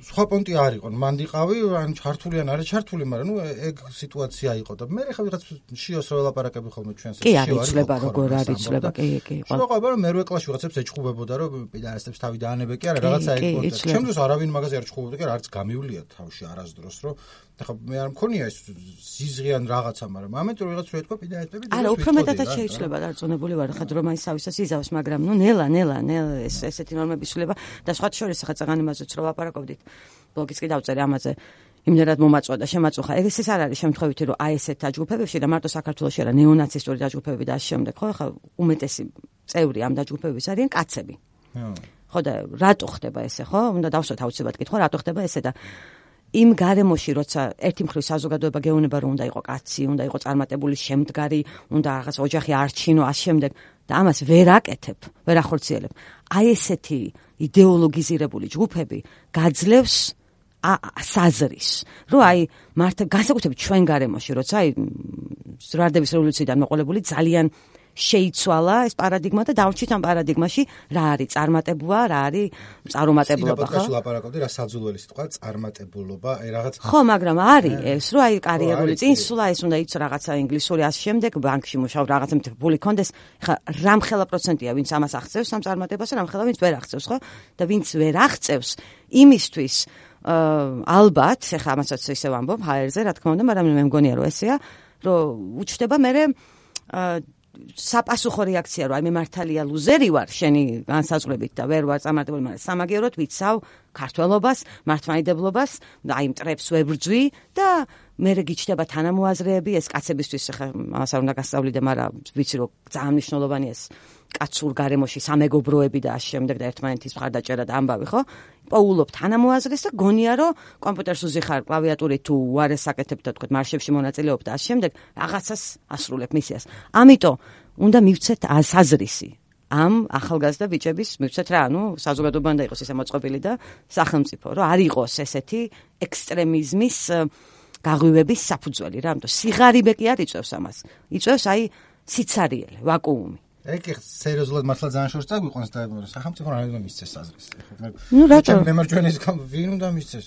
სხვა პონტი არ იყო, მან ვიყავი, ან ჩართული ან არა ჩართული, მაგრამ ნუ ეგ სიტუაცია იყო და მე ხა ვიღაც შიოს რო ელაპარაკები ხოლმე ჩვენს კი არ იცლება როგორ არ იცლება, კი. შევაყობა რომ მერვე კლასში ვიღაცებს ეჩხუბებოდა რომ პიდარასტებს თავი დაანებე კი არა, რაღაცა ეგ პონტი. ჩემთვის არავინ მაგაზე არ ჩხუბებდა კი არა, არც გამივლია თავში არასდროს რომ ხა მე არ მქონია ეს ზიზღიან რაღაცა, მაგრამ ამიტომ ვიღაც რო ეთქვა პიდარასტები და არა, უფრო მეტად შეიძლება დარწმუნებული ვარ ხა რომ აი სავისაც იზავს, მაგრამ ნუ ნელა ესეთი ნორმები შეიძლება და სხვა შორის ხა წაღანი მასეც რო ვაპარაკობდით. ბლოგიც კი დავწერე ამაზე. იმდენად მომაწვა და შემაწუხა. ეს არ არის შემთხვევითი რომ აი ესეთ დაჯგუფებებში და მარტო საქართველოში არა ნეონაცისტური დაჯგუფებები და ამ შემდეგ, ხო, ხა უმეტესი წევრი ამ დაჯგუფებების არიან კაცები. ხო და რატო ხდება ესე, ხო? უნდა დავსვათ აუცილებლად კითხვა, რატო ხდება ესე და იმ გარემოში, როცა ერთი მხრივ საზოგადოება გეუბნება რომ უნდა იყო კაცი, უნდა იყო წარმატებული, შემდგარი, უნდა რაღაც ოჯახი არჩინო, ამ შემდეგ და ამას ვერ აკეთებ, ვერ ახორციელებ. აი ესეთი იდეოლოგიზირებული ჯგუფები გაძლევს საზრის, რომ აი მართლა განსაკუთრებით ჩვენ გარემოში, როცა აი ზრდების რევოლუციიდან მოყოლებული ძალიან შეიცვალა ეს პარადიგმა და დავრჩით ამ პარადიგმაში რა არის წარმატებულობა, რა არის წარუმატებლობა, ხო? პოდკასტში ლაპარაკობდი რა საძულველი სიტყვა წარმატებულობა, აი რაღაც ხო, მაგრამ არის ეს, რომ აი კარიერული წინსვლა, ეს უნდა იყოს რაღაცა ინგლისური ამ შემდეგ, ბანკში მუშაობ, რაღაცა მთელი კონდეს, ხა რამხელა პროცენტია ვინც ამას აღწევს ამ წარმატებას, რამხელა ვინც ვერ აღწევს, ხო? და ვინც ვერ აღწევს იმისთვის ალბათ, ხა ამასაც ისე ვამბობ ჰაერზე, რა თქმა უნდა, მაგრამ მე მგონია რომ ესეა, რომ უჩნდება მე საპასუხო რეაქცია რომ აი მე მართალია ლუზერი ვარ შენი განსაზღვრებით და ვერ ვარ წარმატებული, მაგრამ სამაგიეროდ ვიცავ ქართველობას, მართლმადიდებლობას და აი მტრებს ვებრძვი და მერე გიჩნდება თანამოაზრეები, ეს კაცებისთვის ხა ამას არ უნდა გასწავლიდე, მაგრამ ვიცი რომ ძალიან მნიშვნელოვანია ეს კაცურ გარემოში სამეგობროები და ამ შემდეგ და ერთმანეთის მხარდაჭერა და ამბავი, ხო? პოულობ თანამოაზრეს და გონია რომ კომპიუტერს უზიხარ კლავიატურით თუ უარეს აკეთებ და თქვა მარშებში მონაწილეობ და ამ შემდეგ რაღაცას ასრულებ მისიას. ამიტომ უნდა მივცეთ საზრისი ამ ახალგაზრდა ბიჭების მივცეთ რა, საზოგადოება უნდა იყოს ესე მოწყობილი და სახელმწიფო, რომ არ იყოს ესეთი ექსტრემიზმის გაღვივების საფუძველი რა, ამიტომ სიღარიბე კი არ იწევს ამას. იწევს აი სიცარიელე, ვაკუუმი. ეგ სერიოზულად მართლა ძალიან შორს წაგვიყვანს და სახელმწიფო რა უნდა მისცეს საზრეს. რატომ? მემარჯვენეს ვინ უნდა მისცეს?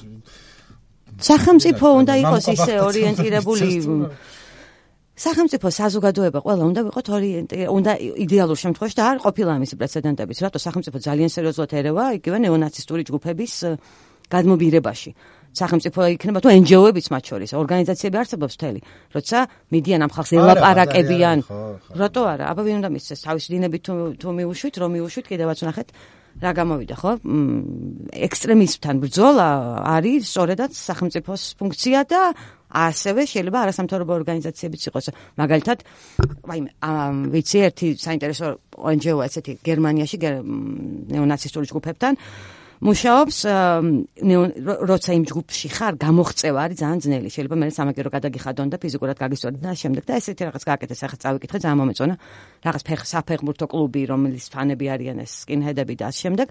სახელმწიფო უნდა იყოს ისე ორიენტირებული სახელმწიფო საზოგადოება ყველა უნდა ვიყოთ უნდა იდეალურ შემთხვევაში და არ ყოფილა ამისი პრეცედენტებიც, რატო სახელმწიფო ძალიან სერიოზულად ერევა იგივე ნეონაცისტური ჯგუფების გადმობირებაში. სახელმწიფო იქნება თუ NGO-ებიც მათ შორის, ორგანიზაციები არსებობს მთელი, როცა მიდიან ამ ხალხს ელაპარაკებიან. რატო არა? აბა ვინ უნდა მისცეს თავის დინებით თუ მიუშვით, რომ მიუშვით, კიდევაც ვნახეთ რა გამოვიდა, ხო? ექსტრემიზმთან ბრძოლა არის სწორედაც სახელმწიფოს ფუნქცია და ასევე შეიძლება არასამთავრობო ორგანიზაციებიც იყოს. მაგალითად, ვიცი ერთი საინტერესო NGO ესეთი გერმანიაში ნეონაცისტური ჯგუფებთან მუშაობს, როცა იმ ჯგუფში ხარ, გამოღწევა არის ძალიან ძნელი. შეიძლება მე სამაგერო გადაგიხადონ და ფიზიკურად გაგისწორდე და შემდეგ და ესეთი რაღაც გააკეთეს. ახლა წავიკითხე, ძალიან მომეწონა. რაღაც საფეხბურთო კლუბი, რომლის ფანები არიან ეს სკინჰედები და ამ შემდეგ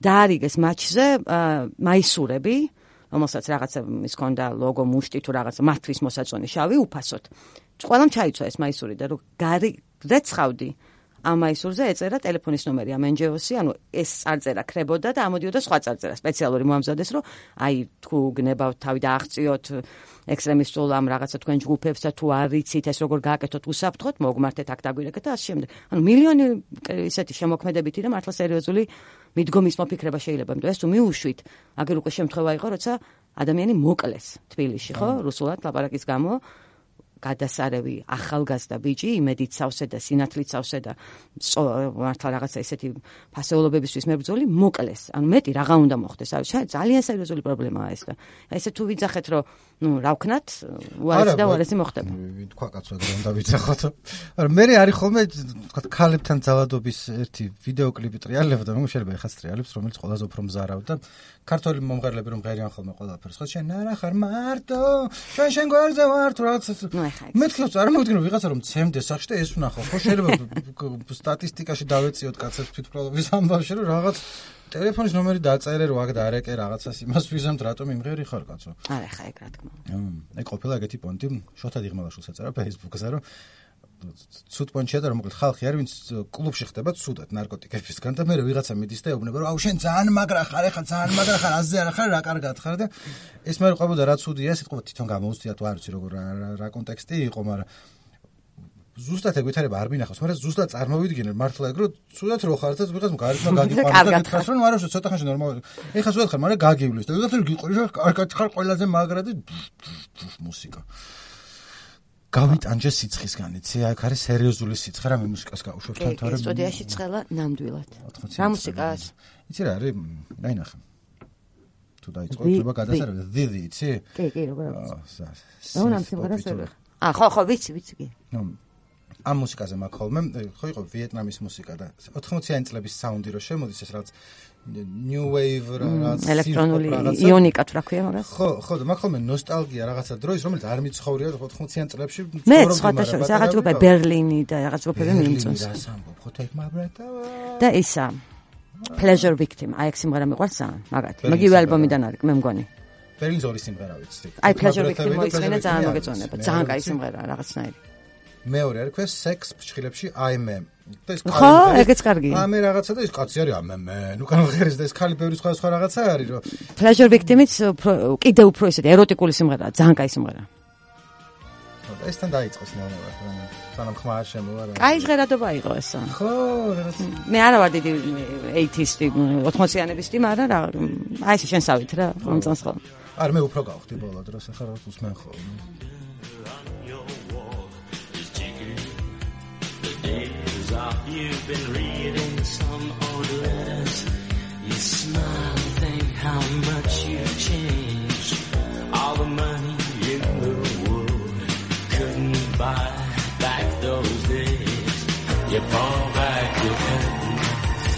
დაარიგეს მატჩზე მაისურები, რომელსაც რაღაცა ის ქონდა ლოგო მუშტი თუ რაღაცა მათთვის მოსაწონი შავი უფასოდ. ყველამ ჩაიცვა ეს მაისური და რომ რეცხავდი ამ მაისურზე ეწერა ტელეფონის ნომერი ამ NGO-ში, ანუ ეს წარწერა ქრებოდა და ამოდიოდა სხვა წარწერა სპეციალური მოამზადეს, რომ აი თუ გნებავთ თავი და აღწიოთ ექსტრემისტულ ამ რაღაცა თქვენ ჯგუფებს და თუ არ იცით ეს როგორ გააკეთოთ უსაფრთხოდ, მოგმართეთ აქ დაგვირეკეთ და ამ შემდეგ. ანუ მილიონი ისეთი შემოქმედებითი და მართლა სერიოზული მიდგომის მოფიქრება შეიძლება, იმიტომ ეს თუ მიუშვით, აგერ უკვე შემთხვევა იყო, როცა ადამიანი მოკლეს თბილისში, ხო, რუსულად ლაპარაკის გამო. გადასარევი ახალგაზრდა ბიჭი იმედით სავსე და სინათლით სავსე და მართლა რაღაცა ესეთი ფასეულობებისთვის მებრძოლი მოკლეს. ანუ მეტი რა უნდა მოხდეს. ძალიან სერიოზული პრობლემაა ეს და ესე თუ ვიძახეთ რომ რა ვქნათ, უარესი და უარესი მოხდება. თქვა კაცო რა უნდა ვიძახოთ. არა მე არის ხოლმე თქვა ქალებთან ძალადობის ერთი ვიდეო კლიპი ტრიალებდა, მაგრამ შეიძლება ეხაც ტრიალებს, რომელიც ყველაზე უფრო მზარავდა. ქართული მომღერლები რომ ღერიან ხოლმე ყველაფერს, ხო შენ არა ხარ მარტო, შენ გვერდზე ვარ თუ რაღაც მე თქვენ წარმოვიდგინო ვიღაცა რომ ცემდეს სახში და ეს ვნახო, ხო შეიძლება სტატისტიკაში დავეციოთ კაცებს თვითმკვლელობის ამბავში რომ რაღაც ტელეფონის ნომერი დაწერე რომ აქ დარეკე რაღაცას იმას ვიზამთ რატომ იმღერი ხარ კაცო. არა ხა ეგ რა თქმა უნდა. ეგ ყოფილა ეგეთი პონტი შოთა დიღმალაშვილს ეწერა Facebook-ზე რომ ცუდ პონჩია და რომ მოკლედ ხალხი არის ვინც კლუბში ხდება ცუდად ნარკოტიკებისგან და მე ვიღაცა მიდის და ეუბნება რომ აუ შენ ძალიან მაგრა ხარ ეხა ძალიან მაგრა ხარ აზზე არა ხარ რა კარგად ხარ და ეს მე ყვებოდა რა ცუდია სიტყვა თვითონ გამოუცდია თუ არ ვიცი როგორ რა კონტექსტი იყო მაგრამ ზუსტად ეგ ვითარება არ მინახავს მაგრამ ზუსტად წარმოვიდგინე მართლა ეგ რომ ცუდად რო ხარ და ვიღაც გარეთმა გაგიყვანს და გითხრას რომ არა ცოტა ხანში ნორმალური ეხა ცუდად ხარ მაგრამ გაგივლის და ვიღაც გიყვი რომ კარგად ხარ ყველაზე მაგრა და მუსიკა გავიტანჯე სიცხისგან, იცი, აქ არის სერიოზული სიცხე, რა მე მუსიკას გავუშვებ თან თორემ. სტუდიაში ცხელა ნამდვილად. რა მუსიკაა? იცი რა არის? აი ნახე. თუ დაიწყო, treba გადასარევი, დიდი, იცი? კი, როგორ არის? ამ სიმღერას ვერ. ხო, ვიცი კი. ამ მუსიკაზე მაქვს ხოლმე, ხო იყო ვიეტნამის მუსიკა და 80-იანი წლების საუნდი რო შემოდის ეს რაღაც new wave რაღაც ელექტრონული იონიკა თუ რა ქვია მაგას? ხო, და მაქვს ხოლმე ნოსტალგია რაღაცა დროის, რომელიც არ მიცხოვრია 80-იან წლებში. მე სხვადასხვა რაღაც ჯგუფი ბერლინი და რაღაც ჯგუფები მიმწონს. და ისა Pleasure Victim, აი ეს სიმღერა მიყვარს ძალიან, მაგათი. მაგივე ალბომიდან არის, მე მგონი. ბერლინის ორი სიმღერა ვიცი. აი Pleasure Victim მოიწვინა ძალიან მოგეწონება, ძალიან კაი სიმღერაა რაღაცნაირი. მეორე არის ქვეს სექს ფშხილებში აიმე. ხო, ეგეც კარგია. ამე რაღაცა და ის კაცი არის ამე. ნუ განვღერის და ეს ხალი ბევრი სხვა რაღაცა არის რომ Pleasure Victim-იც კიდე უფრო ისეთი ეროტიკული სიმღერაა, ძალიან კაი სიმღერაა. ესთან დაიწყოს ნორმალურად, სანამ ხმა არ შემოვა რა. კაი ჟღერადობა იყო ესა. ხო, რაღაცა. მე არა ვარ დიდი 80-იანებისტი, მაგრამ რა, აი ეს შენსავით რა, მომწონს ხოლმე. არა, მე უფრო გავხდი ბოლო დროს, ახლა რაღაც უსმენ ხოლმე. You've been reading some old letters. You smile, think how much you've changed. All the money in the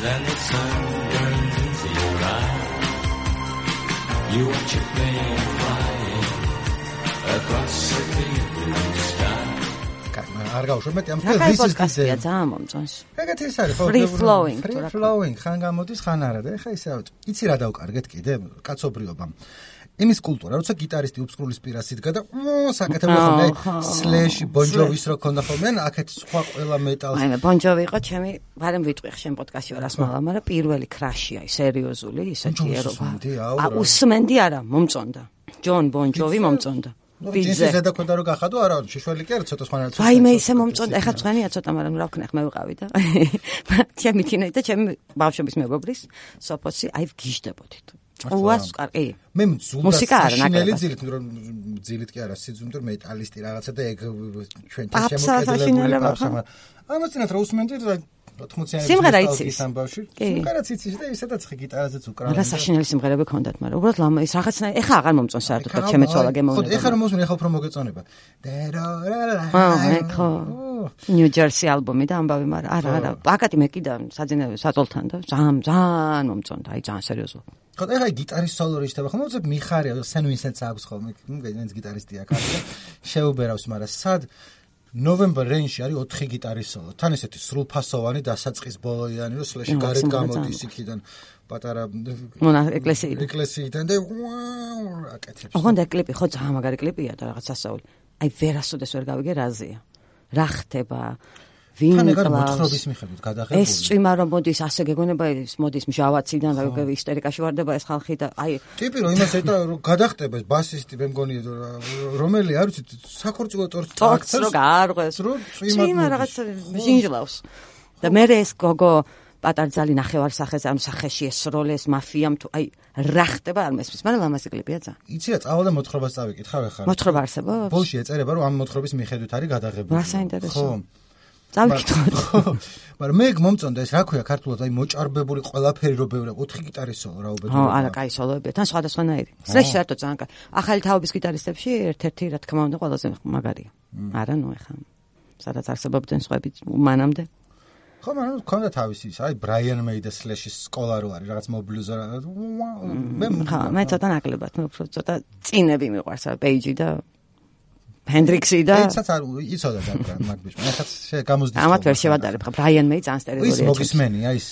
then the sun burns into your eyes. You watch a plane flying across the clear blue sky. არ გავუშვებ მეტი ამ this is კასტია ძალიან მომწონს. ეგეთი ის არის ხო free flowing ხან გამოდის ხან არა და ეხა ისე იცი რა დავკარგეთ კიდე კაცობრიობამ იმის კულტურა როცა გიტარისტი უბსკრულის პირას იდგა და საკეთებდა ხოლმე სლეში ბონჯოვის რო ქონდა ხოლმე აქეთ სხვა ყველა მეტალს აი მე ბონჯოვი იყო ჩემი ვარემ ვიტყვი შენ პოდკასტში ვარ ასმალა მაგრამ პირველი ქრაში აი სერიოზული ისეთი ერობა უსმენდი არა მომწონდა ჯონ ბონჯოვი მომწონდა ბიძე ზედა ქონდა რო გახადო არა შეშველი კი არა ცოტა სხვანაირად აი მე ისე მომწონდა ეხლა წვენია ცოტა მაგრამ რა ვქნა ხმე ვიყავი და ჩემი თინა და ჩემი ბავშვების მეგობრის სოფოსი აი გიჟდებოდით უას კარგი მე მუსიკა არა ნაკლებად ძილით კი არა სიძუნდ მეტალისტი რაღაცა და ეგ ჩვენ შემოკედება ამაცინათ რა უსმენდი 80-იანი სიმღერა იცის ამბავში სიმღერაც იცის და ისედაც ხე გიტარაზეც უკრავენ რა საშინელი სიმღერები ქონდათ მაგრამ უბრალოდ ლამა ის რაღაცნაირ ეხა აღარ მომწონს საერთოდ და ჩემეცვალა გემოვნება ხო ეხა რომ მოსმენ ეხა უფრო მოგეწონება ხო ნიუ ჯერსი ალბომი და ამბავი მაგრამ არა პაკატი მე კიდე საძინე საწოლთან და ძალიან მომწონდა აი ძალიან სერიოზულად ხო ეხა გიტარის სოლო რიშტება ხომ მოძებ მიხარია სენ ვინსენტს აქვს ხოლმე ვინც გიტარისტია კარგი შეუბერავს მაგრამ სად ნოვემბერ რეინში არის 4 გიტარის სოლო. თან ესეთი სრულფასოვანი დასაწყის ბოლოიანი რომ სლეში გარეთ გამოდის იქიდან პატარა ეკლესიიდან და აკეთებს. ოღონდ კლიპი ხო ძალიან მაგარი კლიპია და რაღაც ასეული. აი ვერასოდეს ვერ გავიგე რაზეა. რა ხდება? ვინ მოთხრობის მიხედვით გადაღებული. ეს წვიმა რომ მოდის ასე გეგონება ის მოდის მჟავაციდან და ისტერიკაში ვარდება ეს ხალხი და აი ტიპი რომ იმას ეტა რომ გადახტება ეს ბასისტი მე მგონი რომელი არ ვიცი საქორწილო ტორტს აქცევს რომ გაარღვეს რომ წვიმა რაღაც ჟინჟლავს და მე ეს გოგო პატარძალი ნახევარსახეზე ანუ სახეში ესროლეს მაფიამ თუ აი რა ხდება არ მესმის მაგრამ ლამაზი კლიპია ძალიან იცი რა წავალ და მოთხრობას წავიკითხავ ახლა მოთხრობა არსებობს ბოლში ეწერება რომ ამ მოთხრობის მიხედვით არის გადაღებული რა საინტერესო წავიკითხოთ მაგრამ მე მომწონდა ეს რა ქვია ქართულად აი მოჭარბებული ყველაფერი რო ბევრი 4 გიტარის სოლო რა უბედურება ხო არა კაი სოლოებია თან სხვადასხვანაირი სლეში საერთოდ ძალიან კაი ახალი თაობის გიტარისტებში ერთ-ერთი რა თქმა უნდა ყველაზე მაგარია არა ნუ ეხა სადაც არსებობდნენ სხვები მანამდე ხო მაგრამ ქონდა თავისი ის აი ბრაიან მეი და სლეშის სკოლა რო არის რაღაც მობლუზა მე ცოტა ნაკლებად მე უფრო ცოტა წინები მიყვარს პეიჯი და ჰენდრიქსი და ეცაც არ იცოდა და მაგ ბიჭმა ეხაც გამოსდის ამათ ვერ შევადარებ ხა ბრაიან მეი ძალიან სტერეოტიპია ის მოგისმენია ის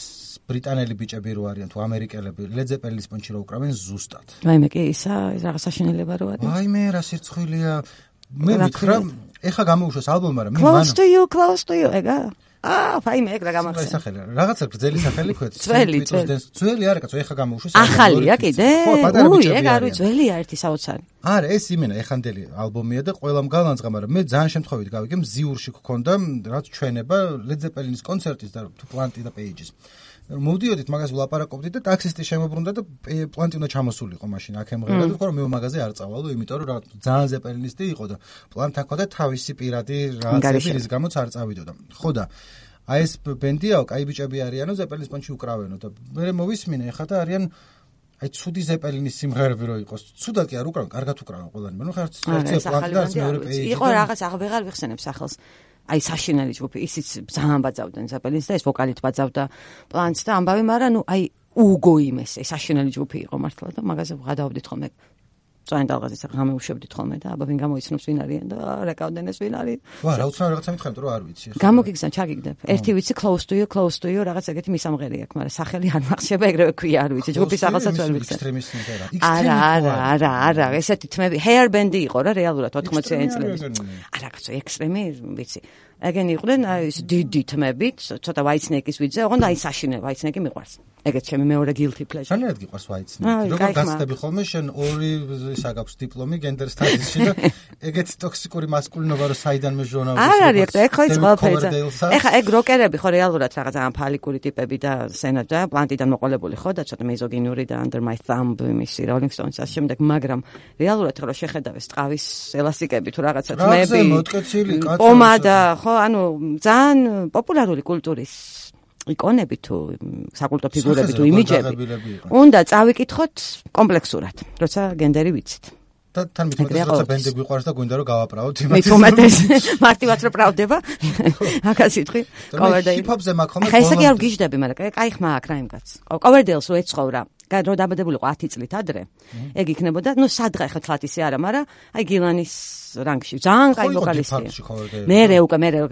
ბრიტანელი ბიჭები რო არიან თუ ამერიკელები ლედზეპელინის პონჩი რო უკრავენ ზუსტად ვაიმე კი ისა ეს რაღაც საშინელება რო არის ვაიმე რა სირცხვილია მე მითხრა ეხა გამოუშვეს ალბომი მაგრამ მე close to you ეგა ვაიმე ეგ რა გამახსენე სახელი რაღაცა გრძელი სახელი ქვეთ ძველი არა კაცო ეხა გამოუშვეს ახალია კიდე ეგ არის ძველია ერთი საოცარი არა ეს იმენა ეხანდელი ალბომია და ყველამ გალანძღა მაგრამ მე ძალიან შემთხვევით გავიგე მზიურში გქონდა რაც ჩვენება ლედზეპელინის კონცერტის და თუ პლანტი და პეიჯის მოვდიოდით მაგას ვლაპარაკობდით და ტაქსისტი შემოbrunდა და პლანტი უნდა ჩამოსულიყო მაშინ აქ ემღერა და თქვა რომ მე მაგაზე არ წავალო იმიტომ რომ რა ძალიან ზეპელინისტი იყო და პლანტ აქ და თავისი პირადი რაღაცები რის გამოც არ წავიდოდა ხო და აი ეს ბენდიაო კაი ბიჭები არიანო ზეპელინის პონჩი უკრავენო და მე მოვისმინე ახლა და არიან აი ცუდი ზეპელინის სიმღერები რო იყოს ცუდად კი არ უკრავენ კარგად უკრავენ ყველანი მე ნუ ხარ ერთია პლანტი და მეორე პეიჯი იყო რაღაც აღარ ვიხსენებ სახელს აი საშინელი ჯგუფი ისიც ძალიან ბაძავდნენ ზეპელინს და ეს ვოკალით ბაძავდა პლანტს და ამბავი მაგრამ ნუ აი უგო იმეს ეს საშინელი ჯგუფი იყო მართლა და მაგაზე ვღადავდით ხოლმე წვენ დალღაზის გამეუშვებდით ხოლმე და აბა ვინ გამოიცნობს ვინ არიან და რეკავდნენ ეს ვინ არის ვა რა უცნაური რაღაცა მითხარ რომ არ ვიცი გამოგიგზა ჩაგიგდებ ერთი ვიცი close to you რაღაც ეგეთი მისამღერი აქვს მაგრამ სახელი არ მახსება ეგრევე ქვია არ ვიცი ჯგუფის სახელსაც ვერ ვიცი არა ესეთი თმები hair band-ი იყო რა რეალურად 80-იანი წლების არა კაცო ექსტრემი ვიცი ეგენი იყვნენ აი ეს დიდი თმებით ცოტა ვაიცნეკის ვიძე ოღონდ აი საშინელი ვაიცნეკი მიყვარს ეგეც ჩემი მეორე guilty pleasure შენერად გიყვარს ვაიცნეკი როგორ გასწდები ხოლმე შენ ორი ისა გაქვს დიპლომი გენდერ სტადიისში და ეგეთი ტოქსიკური მასკულინობა რო საიდან მეჟონავს არ არის ეგ ხო ის ყველაფერი ეხა ეგ როკერები ხო რეალურად რაღაც ამ ფალიკური ტიპები და სენა და პლანტიდან მოყოლებული ხო და ცოტა მეზოგინური და under my thumb მისი rolling stones ასე შემდეგ მაგრამ რეალურად რო შეხედავ ეს ტყავის ელასტიკები თუ რაღაცა თმები პომადა ხო ანუ ძალიან პოპულარული კულტურის იკონები თუ საკულტო ფიგურები თუ იმიჯები უნდა წავიკითხოთ კომპლექსურად როცა გენდერი ვიცით და თან მithumetes როცა ბენდი გვიყვარს და გვინდა რომ გავაправოთ იმას. მithumetes მარტივად რომ pravdeba. აკა სიტყვი. Coverdale. Hip-hopზე მაქვს ხოლმე. ხა ესე კი არ გიждები, მაგრამ კაი ხმა აქვს რა იმ კაცს. Coverdale-ს რო ეცხოვრა, რო დაბადებულიყო 10 წლით ადრე. ეგ იქნებოდა, ნუ სადღა ხა თლათ ისე არა, მაგრამ აი გილანის რანგში ძალიან კაი ვოკალისტია. მე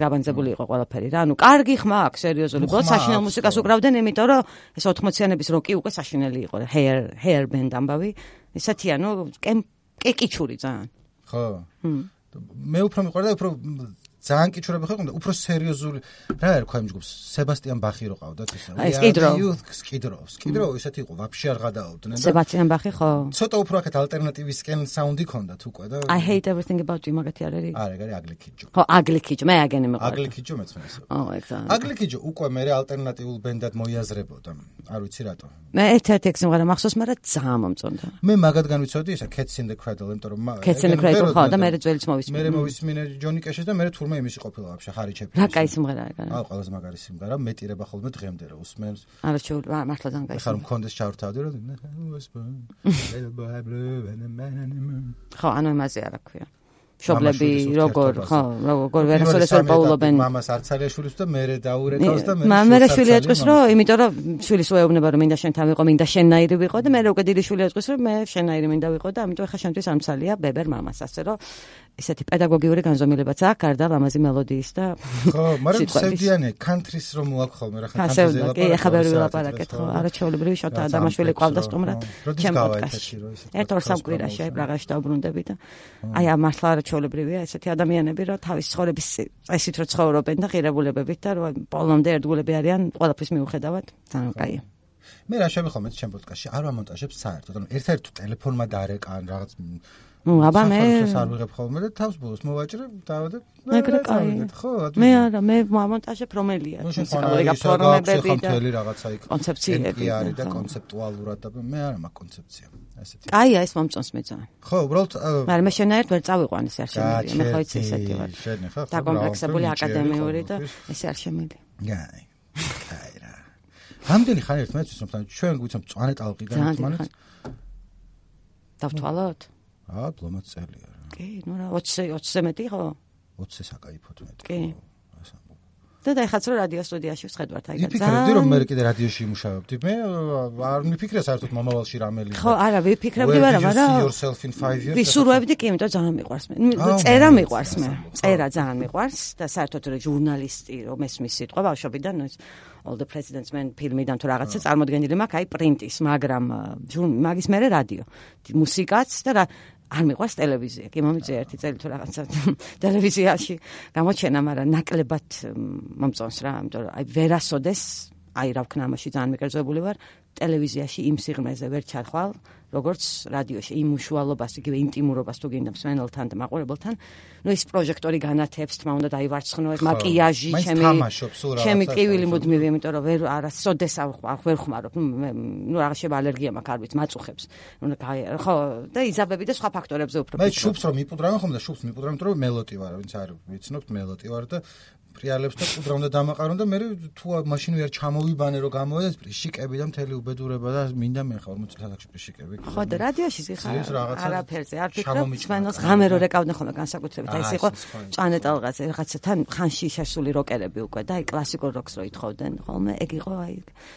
გაბანძებული იყო ყველაფერი რა. ნუ კარგი ხმა აქვს, სერიოზული. ბოლოს საშინელ მუსიკას უკრავდნენ, იმიტომ რომ ეს 80-იანების როკი უკვე საშინელი იყო. Hair band ამბავი. ესეთია, ნუ კეკიჩური ძალიან. ხო. მე უფრო მიყვარდა, უფრო ძალიან კიჩურები ხო იყო, უფრო სერიოზული. რა ერქვა იმ ჯგუფს? სებასტიან ბახი რო ყავდათ ისე. აი, სკიდრო ისეთი იყო, ვაფშე არ გადააუდნენ და სებასტიან ბახი ხო? ცოტა უფრო აქეთ ალტერნატივისკენ საუნდი ქონდათ უკვე და I hate everything about you მაგათი არ არის? არა, ეგ არის Ugly Kid Joe. ხო, Ugly Kid Joe, მე აგენი მეყვა. Ugly Kid Joe მეც მე ისე. ეგ. Ugly Kid Joe უკვე მე ალტერნატიულ ბენდად მოიაზრებოდა. არ ვიცი რატო. მე ერთ-ერთი სიმღერა მახსოვს, მაგრამ ძალიან მომწონდა. მე მაგათგან ვიცოდი ისა Cats in the Cradle, იმიტომ რომ Cats in the Cradle ხო და მე ძველიც მოვისმინე. მე მოვისმინე Johnny Cash-ს და მე თურმე იმისი ყოფილა ვაფშე ხარი ჩემი. რა კაი სიმღერაა ეგ. აუ, ყველაზე მაგარი სიმღერა, მეტირება ხოლმე დღემდე რა უსმენს. არა შევ მართლა ძალიან კაი. ხარ მქონდეს ჩავრთავდი რომ ხო, ანუ იმაზე არა ქვია. შობლები როგორ ვერასოდეს ვერ პაულობენ. მამას არცალიაშვილის და მე დაურეკავს და მე შვილი ეწყვის რომ იმიტომ რომ შვილის უეუბნება რომ მინდა შენთან ვიყო, მინდა შენნაირი ვიყო და მე უკვე დიდი შვილი ეწყვის რომ მე შენნაირი მინდა ვიყო და ამიტომ ახლა შემთხვევით ამცალია ბებერ მამას ასე რომ ესეთი პედაგოგიური განზომილებაც აქვს გარდა ლამაზი მელოდიის და ხო, მაგრამ სევდიანი country-ს რომ მოაქვს ხოლმე რა ხან country-ზე ლაპარაკობ. კი, ახლა ვერ ვილაპარაკეთ ხო, არაჩვეულებრივი შოთა ადამიანშვილი ყავდა სტუმრად ჩემ პოდკასტში. ერთ-ორ სამკვირაში აი პრაღაში დავბრუნდები და აი ამ მართლა არაჩვეულებრივია ესეთი ადამიანები რომ თავის ცხოვრების წესით რო ცხოვრობენ და ღირებულებებით და რომ ბოლომდე ერთგულები არიან ყველაფრის მიუხედავად ძალიან კაია. მე რა შევიხომეთ ჩემ პოდკასტში არ ვამონტაჟებ საერთოდ, ანუ ერთ-ერთი ტელეფონმა დაარეკან რაღაც აბა მე არ ვიღებ ხოლმე და თავს ბოლოს მოვაჭრე დავადებ ეგრე კაი ხო მე არა მე მომონტაჟებ რომელია მუსიკალური გაფორმებები და მთელი რაღაცა იქ კონცეფციები არის და კონცეპტუალურად და მე არა მაქვს კონცეფცია ასეთი კაია ეს მომწონს მე ძალიან ხო უბრალოდ მაგრამ მე შენაერთ ვერ წავიყვანე ეს არ შემიძლია მე ხო იცი ესეთი ვარ და კომპლექსებული აკადემიური და ეს არ შემიძლია კაი კაი რა რამდენი ხანი ერთმანეთს ვისმენთ ჩვენ გვიცნობ მწვანე ტალღიდან ერთმანეთს დავთვალოთ აა, ბლომად წელია რა. კი, ნუ რა 20-ზე მეტი ხო? 20-ზე საკაიფოდ მეტი. კი. და ეხაც რომ რადიო სტუდიაში ვხედავთ აი გან. ვიფიქრებდი რომ მე კიდე რადიოში იმუშავებდი. მე არ მიფიქრე საერთოდ მომავალში რამელი. ხო, არა, ვიფიქრებდი ვარა, მაგრამ ვისურვებდი კი, იმიტომ ძალიან მიყვარს მე. წერა მიყვარს მე. წერა ძალიან მიყვარს და საერთოდ რომ ჟურნალისტი რომ ესმის სიტყვა ბავშვობიდან All the President's Men ფილმიდან თუ რაღაცა წარმოდგენილი მაქვს აი პრინტის, მაგრამ მაგის მერე რადიო. მუსიკაც და არ მიყვარს ტელევიზია. კი მომიწია ერთი წელი თუ რაღაცა ტელევიზიაში გამოჩენა, მაგრამ ნაკლებად მომწონს რა, იმიტომ რომ აი ვერასოდეს აი რა ვქნა ამაში ძალიან მეკერძებული ვარ ტელევიზიაში იმ სიღრმეზე ვერ ჩარხვალ როგორც რადიოში იმ უშუალობას იგივე ინტიმურობას თუ გინდა მსმენელთან და მაყურებელთან ნუ ეს პროჟექტორი განათებს თმა უნდა დაივარცხნო ეს მაკიაჟი ჩემი ტკივილი მუდმივი იმიტომ რომ ვერ არასოდეს ვერ ხმარობ ნუ რაღაც შევა ალერგია მაქვს არ ვიცი მაწუხებს ნუ ხო და იზაბები და სხვა ფაქტორებზე უფრო მე შუბს რომ მიპუდრავენ ხომ და შუბს მიპუდრავენ იმიტომ რომ მელოტი ვარ ვინც არ ვიცნობთ მელოტი ვარ და პრიალებს და პუდრავდა დამაყარონ და მე თუ მაშინ ვერ ჩამოვიბანე რომ გამოედეს პრიშიკები და მთელი უბედურება და მინდა მე ხა 40 წელიწადში პრიშიკები ხო და რადიოში ხარ არაფერზე არ ფიქრობ მსმენელს ღამე რო რეკავდნენ ხოლმე განსაკუთრებით აი ეს იყო მწვანე ტალღაზე რაღაცათან ხანში შესული როკერები უკვე და აი კლასიკურ როკს რო ითხოვდნენ ხოლმე ეგ იყო აი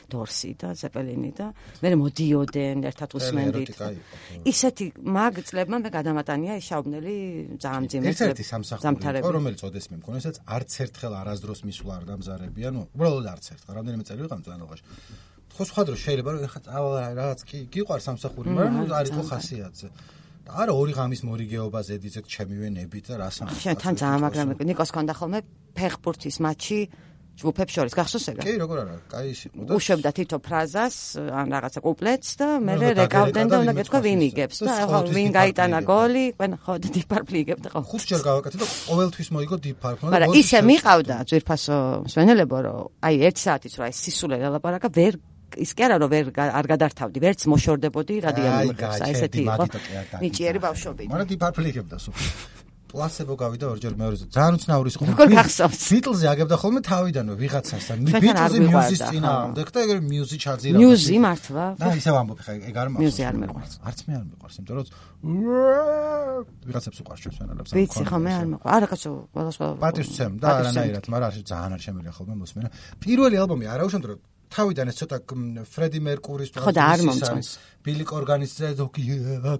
დორსი და ზეპელინი და მე მოდიოდენ ერთად უსმენდით ისეთი მაგ წლებმა მე გადამატანია ის შაუბნელი ძალიან ძიმე ერთ-ერთი სამსახური რომელიც ოდეს მე მქონე ესაც არც ერთხელ არასდროს მისვლა არ დამზარებია ნუ უბრალოდ არც ერთხელ რამდენიმე წელი ვიყავ მწვანეობაში ხო სხვა დრო შეიძლება რომ ეხა წავალ რაღაც კი გიყვარს სამსახური მაგრამ არ იყო ხასიათზე და არა ორი ღამის მორიგეობა ზედიზედ ჩემივე ნებით და რას ამბობ შენ თან ძალიან მაგრამ ნიკოს ქონდა ხოლმე ფეხბურთის მატჩი ჯგუფებს შორის გახსოვს ეგა კი როგორ არა კაი იყო და უშვებდა თითო ფრაზას ან რაღაცა კუპლეტს და მე რეკავდნენ და უნდა გეთქვა ვინ იგებს და ხო ვინ გაიტანა გოლი ყველა ხო და დიპარფლი იგებდა ხო ხუთჯერ გავაკეთე და ყოველთვის მოიგო დიპარფლი მაგრამ ისე მიყავდა ძვირფასო მსმენელებო რომ აი 1 საათიც რა ეს სისულე ლაპარაკა ვერ ის კი არა რომ არ გადართავდი ვერც მოშორდებოდი რადიო მიმღებს აი ესეთი იყო ნიჭიერი ბავშვობი მაგრამ დიპარფლი იგებდა სულ პლასებო გავიდა ორჯერ მეორეზე. ძალიან უცნაური იყო. როგორ გახსოვს? ბიტლზე აგებდა ხოლმე თავიდანვე ვიღაცასთან. ბიტლზე მიუზის წინააღმდეგ და ეგრე მიუზი ჩაძირავდა. მიუზი მართლა? და ისევ ამბობ ხა ეგ არ მაქვს. მიუზი არ მეყვარს. არც მე არ მეყვარს, იმიტომ რომ ვიღაცებს უყვარს ჩვენს ფენელებს. ვიცი ხო მე არ მეყვარს. არა კაცო, ყველა პატივს ვცემ და არანაირად, მაგრამ არ ძალიან არ შემიძლია ხოლმე მოსმენა. პირველი ალბომი არა უშუალოდ რომ თავიდან ეს ცოტა ფრედი მერკურის ხო და არ მომწონს. ბილი კორგანის ზოგი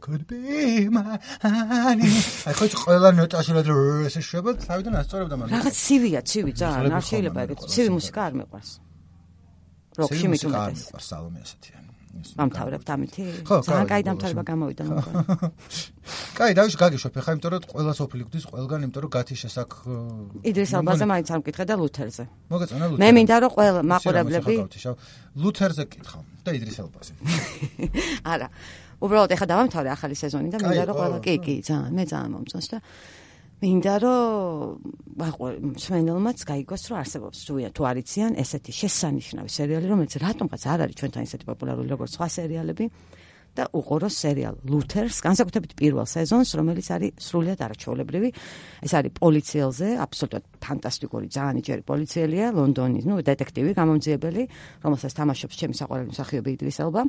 could be mine. აი ხო ყველა ნოტაში რა ესე შვება თავიდან ასწორებდა მაგრამ რაღაც ცივია, ცივი ძალიან, არ შეიძლება ეგეთ ცივი მუსიკა არ მეყვარს. როკში მით უმეტეს. მეყვარს სალომე ასეთიანი. ამთავრებთ ამითი? ძალიან კაი დამთავრება გამოვიდა მოგონა. კაი, დავიშ გაგიშვებ ხა, იმიტომ რომ ყველა სოფელი გვდის ყველგან, იმიტომ რომ გათიშე საკ იდრის ალბაზე მაინც არ მკითხე და ლუთერზე. მოგეწონა ლუთერზე. მე მინდა რომ ყველა მაყურებლები ლუთერზე კითხავ და იდრის ალბაზე. არა. უბრალოდ ეხა დავამთავრე ახალი სეზონი და მინდა რომ ყველა კი, ძალიან, მე ძალიან მომწონს და მინდა რომ მსმენელმაც გაიგოს რომ არსებობს თუ არ იციან ესეთი შესანიშნავი სერიალი რომელიც რატომღაც არ არის ჩვენთან ისეთი პოპულარული როგორც სხვა სერიალები და უყუროს სერიალ ლუთერს განსაკუთრებით პირველ სეზონს რომელიც არის სრულიად არაჩვეულებრივი ეს არის პოლიციელზე აბსოლუტურად ფანტასტიკური ძალიან იჭერი პოლიციელია ლონდონის დეტექტივი გამომძიებელი რომელსაც თამაშობს ჩემი საყვარელი მსახიობი იდრის ელბა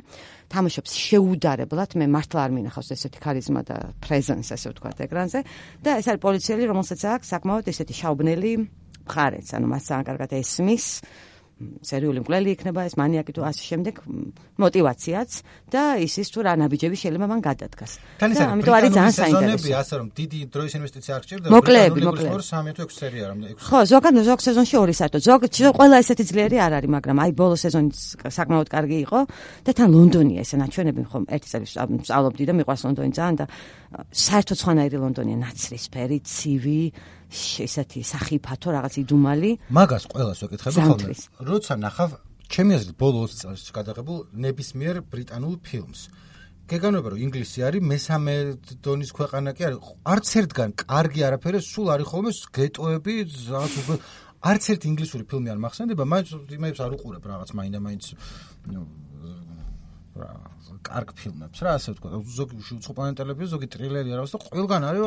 თამაშობს შეუდარებლად მე მართლა არ მინახავს ესეთი ქარიზმა და პრეზენს ასე ვთქვათ ეკრანზე და ეს არის პოლიციელი რომელსაც აქვს საკმაოდ ესეთი შაუბნელი მხარეც ანუ მას ძალიან კარგად ესმის სერიული მკვლელი იქნება ეს მანიაკი თუ ასე შემდეგ мотиваციაც და ისის თუ რა ნაბიჯები შეიძლება მან გადადგას. და ამიტომ არის ძალიან საინტერესო. ასე რომ დიდი დროის ინვესტიცია არ გჭირდება. მოკლეები. 3-6 სერია რომ 6. ხო, ზოგ სეზონში 2 საერთოდ. ყველა ესეთი ძლიერი არ არის, მაგრამ აი ბოლო სეზონი საკმაოდ კარგი იყო და თან ლონდონია ესე ნაჩვენები ხომ ერთი წელი სწავლობდი და მიყვარს ლონდონი ძალიან და საერთოდ სხვანაირი ლონდონია ნაცრისფერი, ცივი ესეთი სახიფათო რაღაც იდუმალი. მაგას ყველას ვეკითხები ხოლმე. როცა ნახავ ჩემი აზრით ბოლო 20 წელს გადაღებულ ნებისმიერ ბრიტანულ ფილმს. გეგანვება რომ ინგლისი არის მესამე დონის ქვეყანა კი არის. არც ერთგან კარგი არაფერი სულ არის ხოლმე გეტოები რაღაც არც ერთი ინგლისური ფილმი არ მახსენდება, მაინც იმებს არ უყურებ რაღაც მაინც კარგ ფილმებს რა ასე ვთქვა ზოგი უცხოპლანეტ ტელევიზია ზოგი ტრილერი არა და ყველგან არის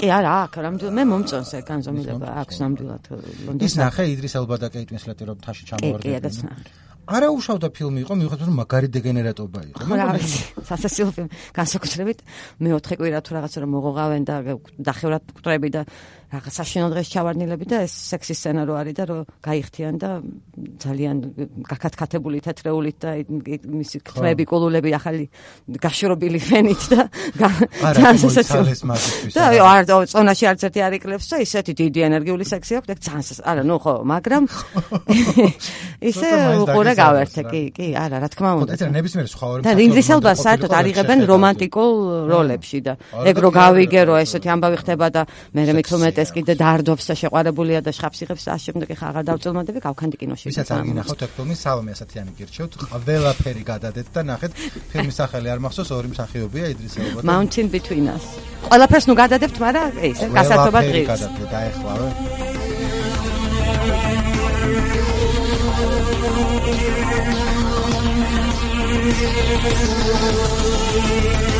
კი არა აქ რამოდენიმე მე მომწონს ეგ განზომილება აქვს ნამდვილად ლონდონში ის ნახე იდრის ელბა და კეიტ უინსლეტი რომ თაში ჩამოვარდა კი არა უშავდა ფილმი იყო მიუხედავად რომ მაგარი დეგენერატობა იყო სასაცილო ფილმი განსაკუთრებით მეოთხე კვირა თუ რაღაცა რომ მოღოღავენ და დახევრათ კტრები და რაღაც საშინელ დღეს ჩავარდნილები და ეს სექსის სცენა რო არის და რო გაიხთიან და ძალიან გაკათკათებული თეთრეულით და მისი ქმები კულულები ახალი გაშრობილი ფენით და და არ წონაში არც ერთი არ იკლებს და ისეთი დიდი ენერგიული სექსი აქვს და ძალიან არა ნუ ხო მაგრამ ისე უყურე გავერთე კი არა რა თქმა უნდა ეს ნებისმიერ სხვა ორი და ინგრის ელბას საერთოდ არიღებენ რომანტიკულ როლებში და ეგ რო გავიგე რომ ესეთი ამბავი ხდება და მე მithumet ეს კიდე დაარდობს და შეყვარებულია და შხაპს იღებს და შემდეგ ხა აღარ დავწელმადები გავქანდი კინოში ვისაც არ გინახავთ ეგ ფილმი სალომე ასათიანი გირჩევთ ყველაფერი გადადეთ და ნახეთ ფილმის სახელი არ მახსოვს ორი მსახიობია იდრის ელბა და Mountain Between Us ყველაფერს ნუ გადადებთ მაგრამ ეს გასართობა დღის გადადეთ დაეხლავე We'll be right back.